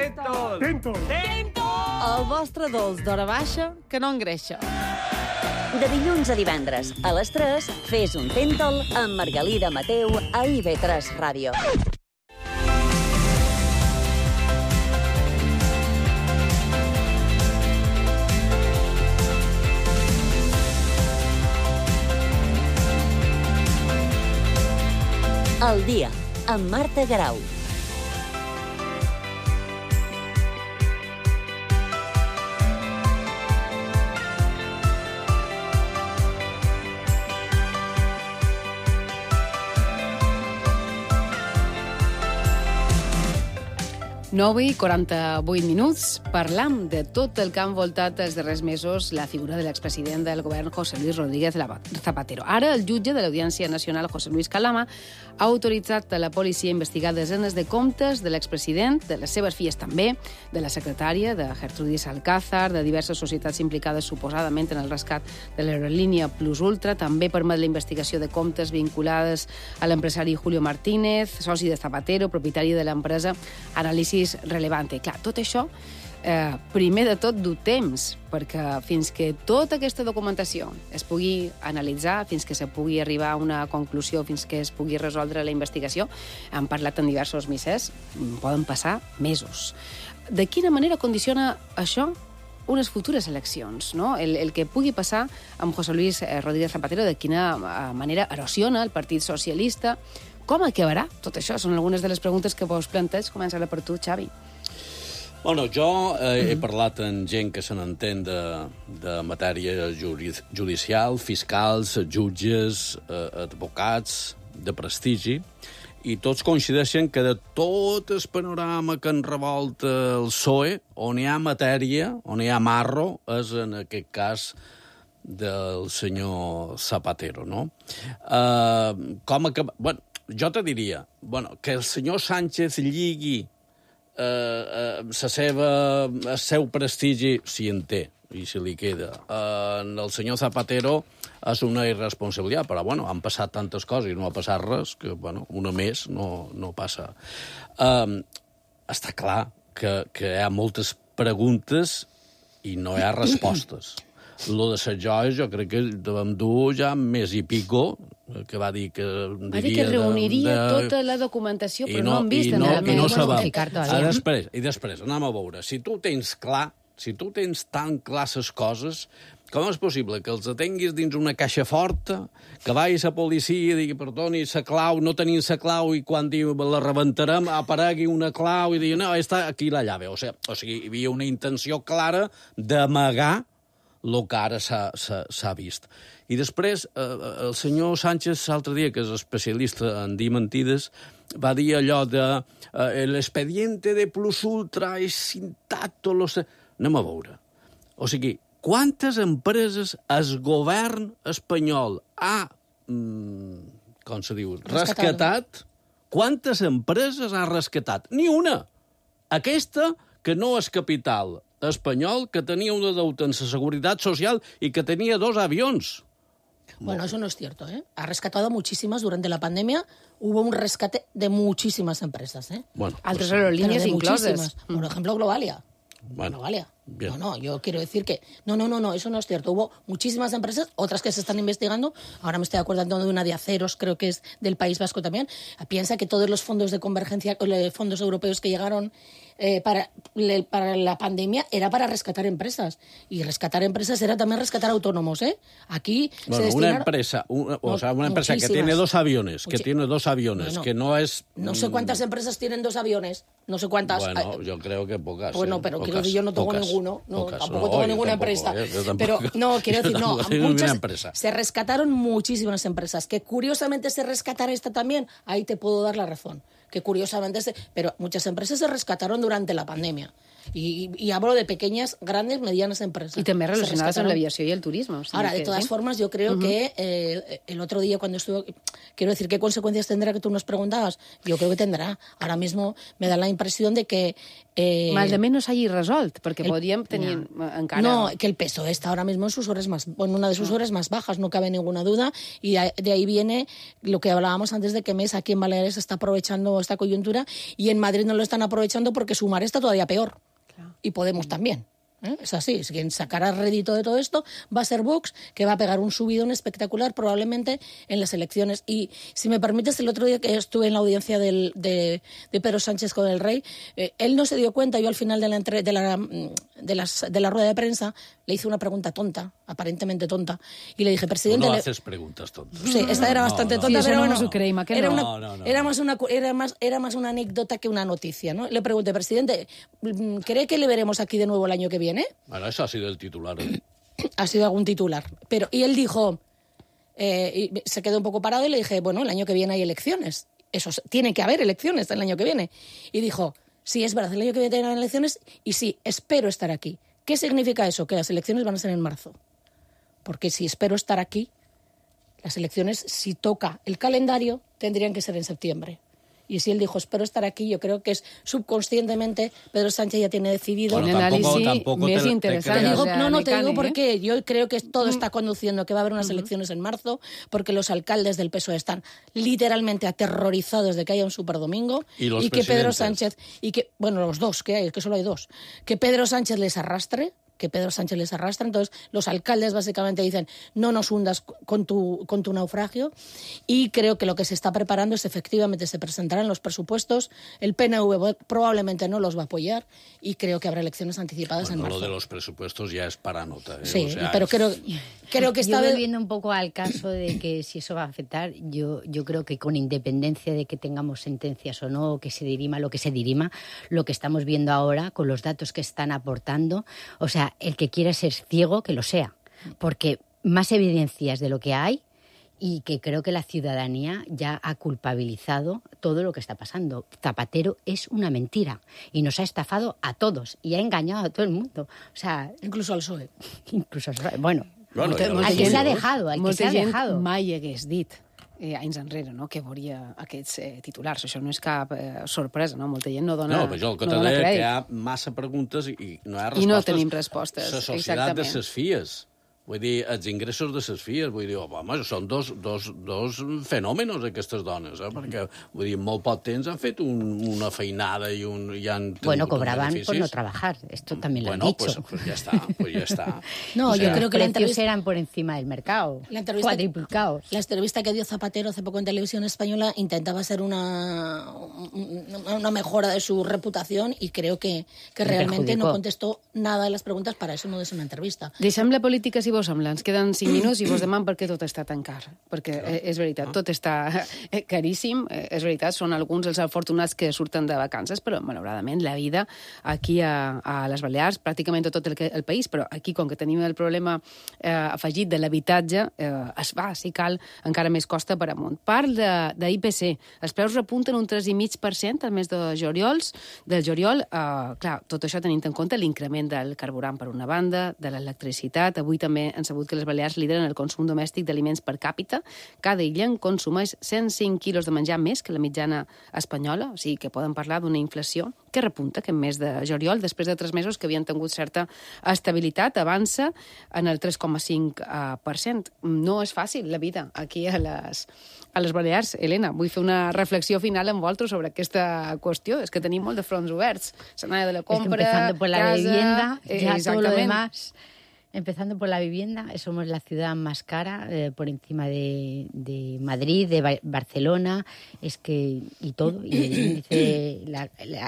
Tentol. El vostre dolç d'hora baixa que no engreixa. De dilluns a divendres, a les 3, fes un Tentol amb Margalida Mateu a IB3 Ràdio. Al dia, amb Marta Garau. Nove i 48 minuts. Parlam de tot el que ha envoltat els darrers mesos la figura de l'expresident del govern José Luis Rodríguez Zapatero. Ara, el jutge de l'Audiència Nacional, José Luis Calama, ha autoritzat a la policia a investigar desenes de comptes de l'expresident, de les seves filles també, de la secretària, de Gertrudis Alcázar, de diverses societats implicades suposadament en el rescat de l'aerolínia Plus Ultra. També permet la investigació de comptes vinculades a l'empresari Julio Martínez, soci de Zapatero, propietari de l'empresa Anàlisis Relevante. Clar, tot això, primer de tot, du temps, perquè fins que tota aquesta documentació es pugui analitzar, fins que se pugui arribar a una conclusió, fins que es pugui resoldre la investigació, han parlat en diversos misses, poden passar mesos. De quina manera condiciona això unes futures eleccions, no? El que pugui passar amb José Luis Rodríguez Zapatero, de quina manera erosiona el Partit Socialista, com acabarà tot això? Són algunes de les preguntes que vos planteig. Comença per tu, Xavi. Bueno, jo he parlat amb gent que se n'entén de matèria judicial, fiscals, jutges, advocats de prestigi, i tots coincideixen que de tot el panorama que enrevolta el PSOE, on hi ha matèria, on hi ha marro, és en aquest cas del senyor Zapatero, no? Bueno, jo te diria, que el senyor Sánchez lligui el seu prestigi, si en té, i si li queda, el senyor Zapatero és una irresponsabilitat, però, han passat tantes coses i no ha passat res, que, una més no passa. Està clar que hi ha moltes preguntes i no hi ha respostes. Lo de les joies, jo crec que devem dur ja més i pico, que va dir que... Va dir que reuniria tota la documentació, però no han vist en el I no sabem. I després, anem a veure, si tu tens tan clar les coses, com és possible que els atenguis dins una caixa forta, que vagis a policia i digui, perdoni, la clau, no tenim la clau, i quan diu la rebentarem, aparegui una clau i digui, no, està aquí la llave. O sigui, hi havia una intenció clara d'amagar el que ara s'ha vist. I després, el senyor Sánchez, l'altre dia, que és especialista en dir mentides, va dir allò de l'expediente de plus ultra és intacto... Anem a veure. O sigui, quantes empreses el govern espanyol ha, com se diu, rescatat? Quantes empreses ha rescatat? Ni una. Aquesta, que no és capital espanyol, que tenia una deuta en la Seguridad Social y que tenía 2 aviones. Bueno, eso no es cierto, ¿eh? Ha rescatado muchísimas. Durante la pandemia hubo un rescate de muchísimas empresas, ¿eh? Bueno, altres aerolíneas incloses. Por ejemplo, Globalia. Bueno, Globalia. No, yo quiero decir que... No, eso no es cierto. Hubo muchísimas empresas, otras que se están investigando. Ahora me estoy acordando de una de aceros, creo que es del País Vasco también. Piensa que todos los fondos de convergencia, fondos europeos que llegaron para la pandemia, era para rescatar empresas. Y rescatar empresas era también rescatar autónomos, ¿eh? Aquí se destinaron... Una empresa que tiene 2 aviones, que no es... No sé cuántas empresas tienen 2 aviones, no sé cuántas... Bueno, yo creo que pocas. Bueno, pero pocas, quiero decir, yo no tengo pocas, ninguno, no, pocas. tampoco tengo ninguna empresa. Pero no, quiero decir, no, se rescataron muchísimas empresas. Que curiosamente se rescatara esta también, ahí te puedo dar la razón. Que curiosamente, pero muchas empresas se rescataron durante la pandemia. Y hablo de pequeñas, grandes, medianas empresas. Y también relacionadas con la aviación y el turismo. O sea, ahora, de todas formas, yo creo que el otro día cuando estuve... Quiero decir, ¿qué consecuencias tendrá que tú nos preguntabas? Yo creo que tendrá. Ahora mismo me da la impresión de que... Mal de menos hagi resolt, perquè podríem tenir encara... No, que el PSOE está ahora mismo en una de sus horas más bajas, no cabe ninguna duda, y de ahí viene lo que hablábamos antes de que MES aquí en Baleares está aprovechando esta coyuntura y en Madrid no lo están aprovechando porque Sumar está todavía peor. Claro. Y Podemos también. Es así, quien sacará rédito de todo esto va a ser Vox, que va a pegar un subidón espectacular probablemente en las elecciones. Y si me permites, el otro día que estuve en la audiencia de Pedro Sánchez con el rey, él no se dio cuenta. Yo al final de la rueda de prensa le hice una pregunta tonta, aparentemente tonta, y le dije, presidente... No haces preguntas tontas. Sí, esta era bastante tonta, sí, pero bueno, era más una anécdota que una noticia, ¿no? Le pregunté, presidente, ¿cree que le veremos aquí de nuevo el año que viene? Bueno, eso ha sido el titular. Ha sido algún titular. Y él dijo, y se quedó un poco parado y le dije, bueno, el año que viene hay elecciones. Tiene que haber elecciones el año que viene. Y dijo, sí, es verdad, el año que viene hay elecciones y sí, espero estar aquí. ¿Qué significa eso? Que las elecciones van a ser en marzo. Porque si espero estar aquí, las elecciones, si toca el calendario, tendrían que ser en septiembre. Y si él dijo, espero estar aquí, yo creo que es subconscientemente Pedro Sánchez ya tiene decidido... Un análisis más interesante. Te digo porque yo creo que todo está conduciendo, que va a haber unas elecciones en marzo, porque los alcaldes del PSOE están literalmente aterrorizados de que haya un superdomingo y que Pedro Sánchez, los dos que hay, que solo hay 2, que Pedro Sánchez les arrastre, que Pedro Sánchez les arrastra. Entonces, los alcaldes básicamente dicen, no nos hundas con tu naufragio. Y creo que lo que se está preparando es, efectivamente, se presentarán los presupuestos. El PNV probablemente no los va a apoyar y creo que habrá elecciones anticipadas en marzo. Lo de los presupuestos ya es para nota. Sí, pero creo que esta yo vez... volviendo un poco al caso de que si eso va a afectar, yo creo que con independencia de que tengamos sentencias o no, o que se dirima lo que se dirima, lo que estamos viendo ahora con los datos que están aportando, o sea, el que quiera ser ciego, que lo sea, porque más evidencias de lo que hay y que creo que la ciudadanía ya ha culpabilizado todo lo que está pasando. Zapatero es una mentira y nos ha estafado a todos y ha engañado a todo el mundo. O sea, incluso al PSOE. Incluso al PSOE. Bueno, al que s'ha dejado, al que s'ha dejado. Mai hagués dit anys enrere, no?, que veuria aquests titulars. Això no és cap sorpresa, no? Molta gent no dona crèdit. No, però jo el que t'he dit que hi ha massa preguntes i no hi ha respostes. I no tenim respostes, la societat de ses fies. Vull dir, els ingressos de ses filles, vull dir, home, són dos fenòmenos, aquestes dones, perquè, vull dir, en molt poc temps han fet una feinada i han... Bueno, cobraban por no trabajar, esto también lo han dicho. Pues ya está. No, yo creo que los precios eran por encima del mercado, cuadriplicados. La entrevista que dio Zapatero hace poco en Televisión Española intentaba ser una mejora de su reputación y creo que realmente no contestó nada de las preguntas, para eso no és una entrevista. Deixem la política, si vos sembla. Ens queden 5 minuts i vos demanem per què tot està tan car. Perquè és veritat, tot està caríssim. És veritat, són alguns els afortunats que surten de vacances, però, malauradament, la vida aquí a les Balears, pràcticament tot el país, però aquí, com que tenim el problema afegit de l'habitatge, es va, si cal, encara més costa per amunt. Parl d'IPC. Els preus repunten un 3,5% al mes del juliol. Clar, tot això tenint en compte l'increment del carburant per una banda, de l'electricitat. Avui també han sabut que les Balears lideren el consum domèstic d'aliments per càpita. Cada illa en consumeix 105 quilos de menjar més que la mitjana espanyola, o sigui que poden parlar d'una inflació que repunta aquest mes de juliol, després de 3 mesos que havien tingut certa estabilitat, avança en el 3,5%. No és fàcil la vida aquí a les Balears. Helena, vull fer una reflexió final amb vosaltres sobre aquesta qüestió. És que tenim molt de fronts oberts. S'anava de la compra, empezando por la casa... vivienda, ya todo lo demás... Empezando por la vivienda, somos la ciudad más cara por encima de Madrid, de Barcelona, y todo, y el índice,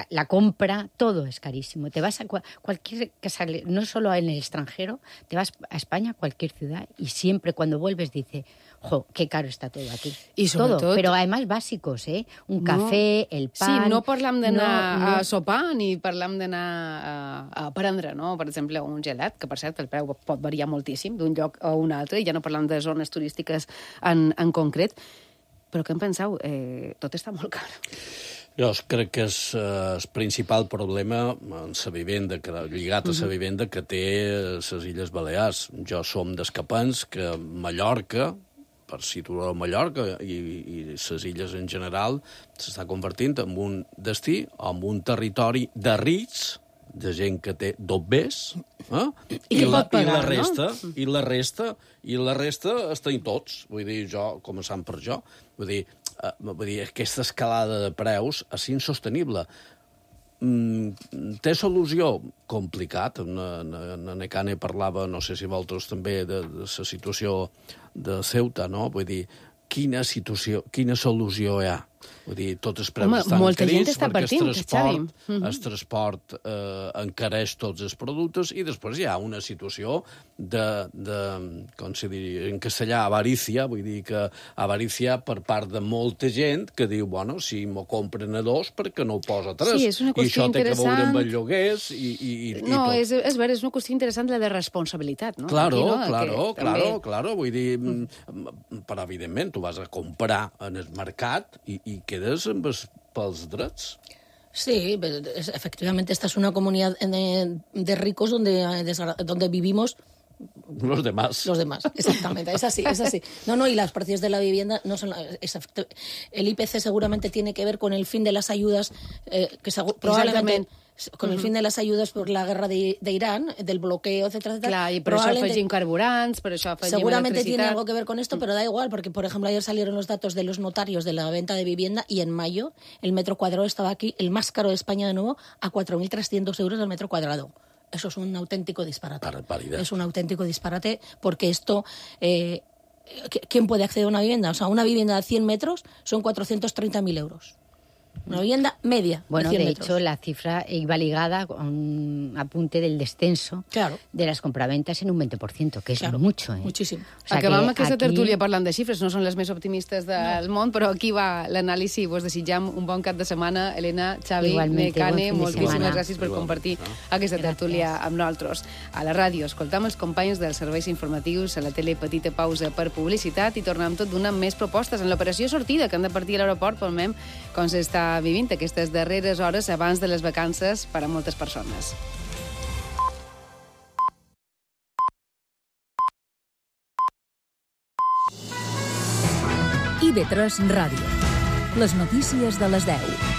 la compra, todo es carísimo. Te vas a cualquier casa, no solo en el extranjero, te vas a España, cualquier ciudad, y siempre cuando vuelves dice, jo, qué caro está todo aquí. I sobretot... Todo, però además bàsicos, un cafè, el pan... Sí, no parlam d'anar a sopar ni parlam d'anar a prendre, no? Per exemple, un gelat, que per cert el preu pot variar moltíssim d'un lloc a un altre, i ja no parlam de zones turístiques en concret. Però què en penseu? Tot està molt car. Jo crec que és el principal problema en la vivenda, lligat a la vivenda que té les Illes Balears. Jo som d'escapants que Mallorca, per situar Mallorca i les illes en general, s'està convertint en un destí, en un territori de rics, de gent que té dobbers, I que pot pagar, I la resta estem tots. Vull dir, jo, començant per jo, vull dir, aquesta escalada de preus és insostenible. Té solució? Complicat. En Necane parlava, no sé si vosaltres també, de la situació de Ceuta, no? Vull dir, quina solució hi ha? Vull dir, tots els preus estan encarits perquè el transport encareix tots els productes i després hi ha una situació com se diria en castellà, avarícia, vull dir que avarícia per part de molta gent que diu, bueno, si m'ho compren a 2, perquè no ho posa a 3? Sí, és una qüestió interessant. I això té que veure amb els lloguers i no, tot. És vera, és una qüestió interessant la de responsabilitat, no? Claro, vull dir, però evidentment tu vas a comprar en el mercat i quedes amb els pels drets. Sí, efectivamente esta es una comunidad de ricos donde vivimos los demás. Exactamente, es así. No, y los precios de la vivienda no son... El IPC seguramente tiene que ver con el fin de las ayudas, probablemente... Con el fin de las ayudas por la guerra de Irán, del bloqueo, etcétera. Clar, i per això afegim carburants, per això afegim seguramente electricitat. Tiene algo que ver con esto, pero da igual, porque, por ejemplo, ayer salieron los datos de los notarios de la venta de vivienda y en mayo el metro cuadrado estaba aquí, el más caro de España de nuevo, a 4.300 euros el metro cuadrado. eso es un auténtico disparate. Barbaridad. Es un auténtico disparate porque esto... ¿quién puede acceder a una vivienda? O sea, una vivienda de 100 metros son 430.000 euros. Una vivienda media. Bueno, de 100 de metros. hecho, la cifra iba ligada con un apunte del descenso de las compraventas en un 20%, que és mucho. Muchísimo. O sea, Acabam que aquesta aquí... tertúlia parlant de xifres, no són les més optimistes del món, però aquí va l'anàlisi. Vos desitjam un bon cap de setmana. Elena, Xavi, Igualmente, Mecane, bon fin de moltíssimes setmana. gràcies per compartir aquesta tertúlia amb nosaltres. A la ràdio escoltam els companys dels serveis informatius, a la tele petita pausa per publicitat i tornem tot donant més propostes en l'operació sortida que han de partir a l'aeroport, palmem com s'està vivint aquestes darreres hores abans de les vacances per a moltes persones. IB3 Ràdio. Les notícies de les 10.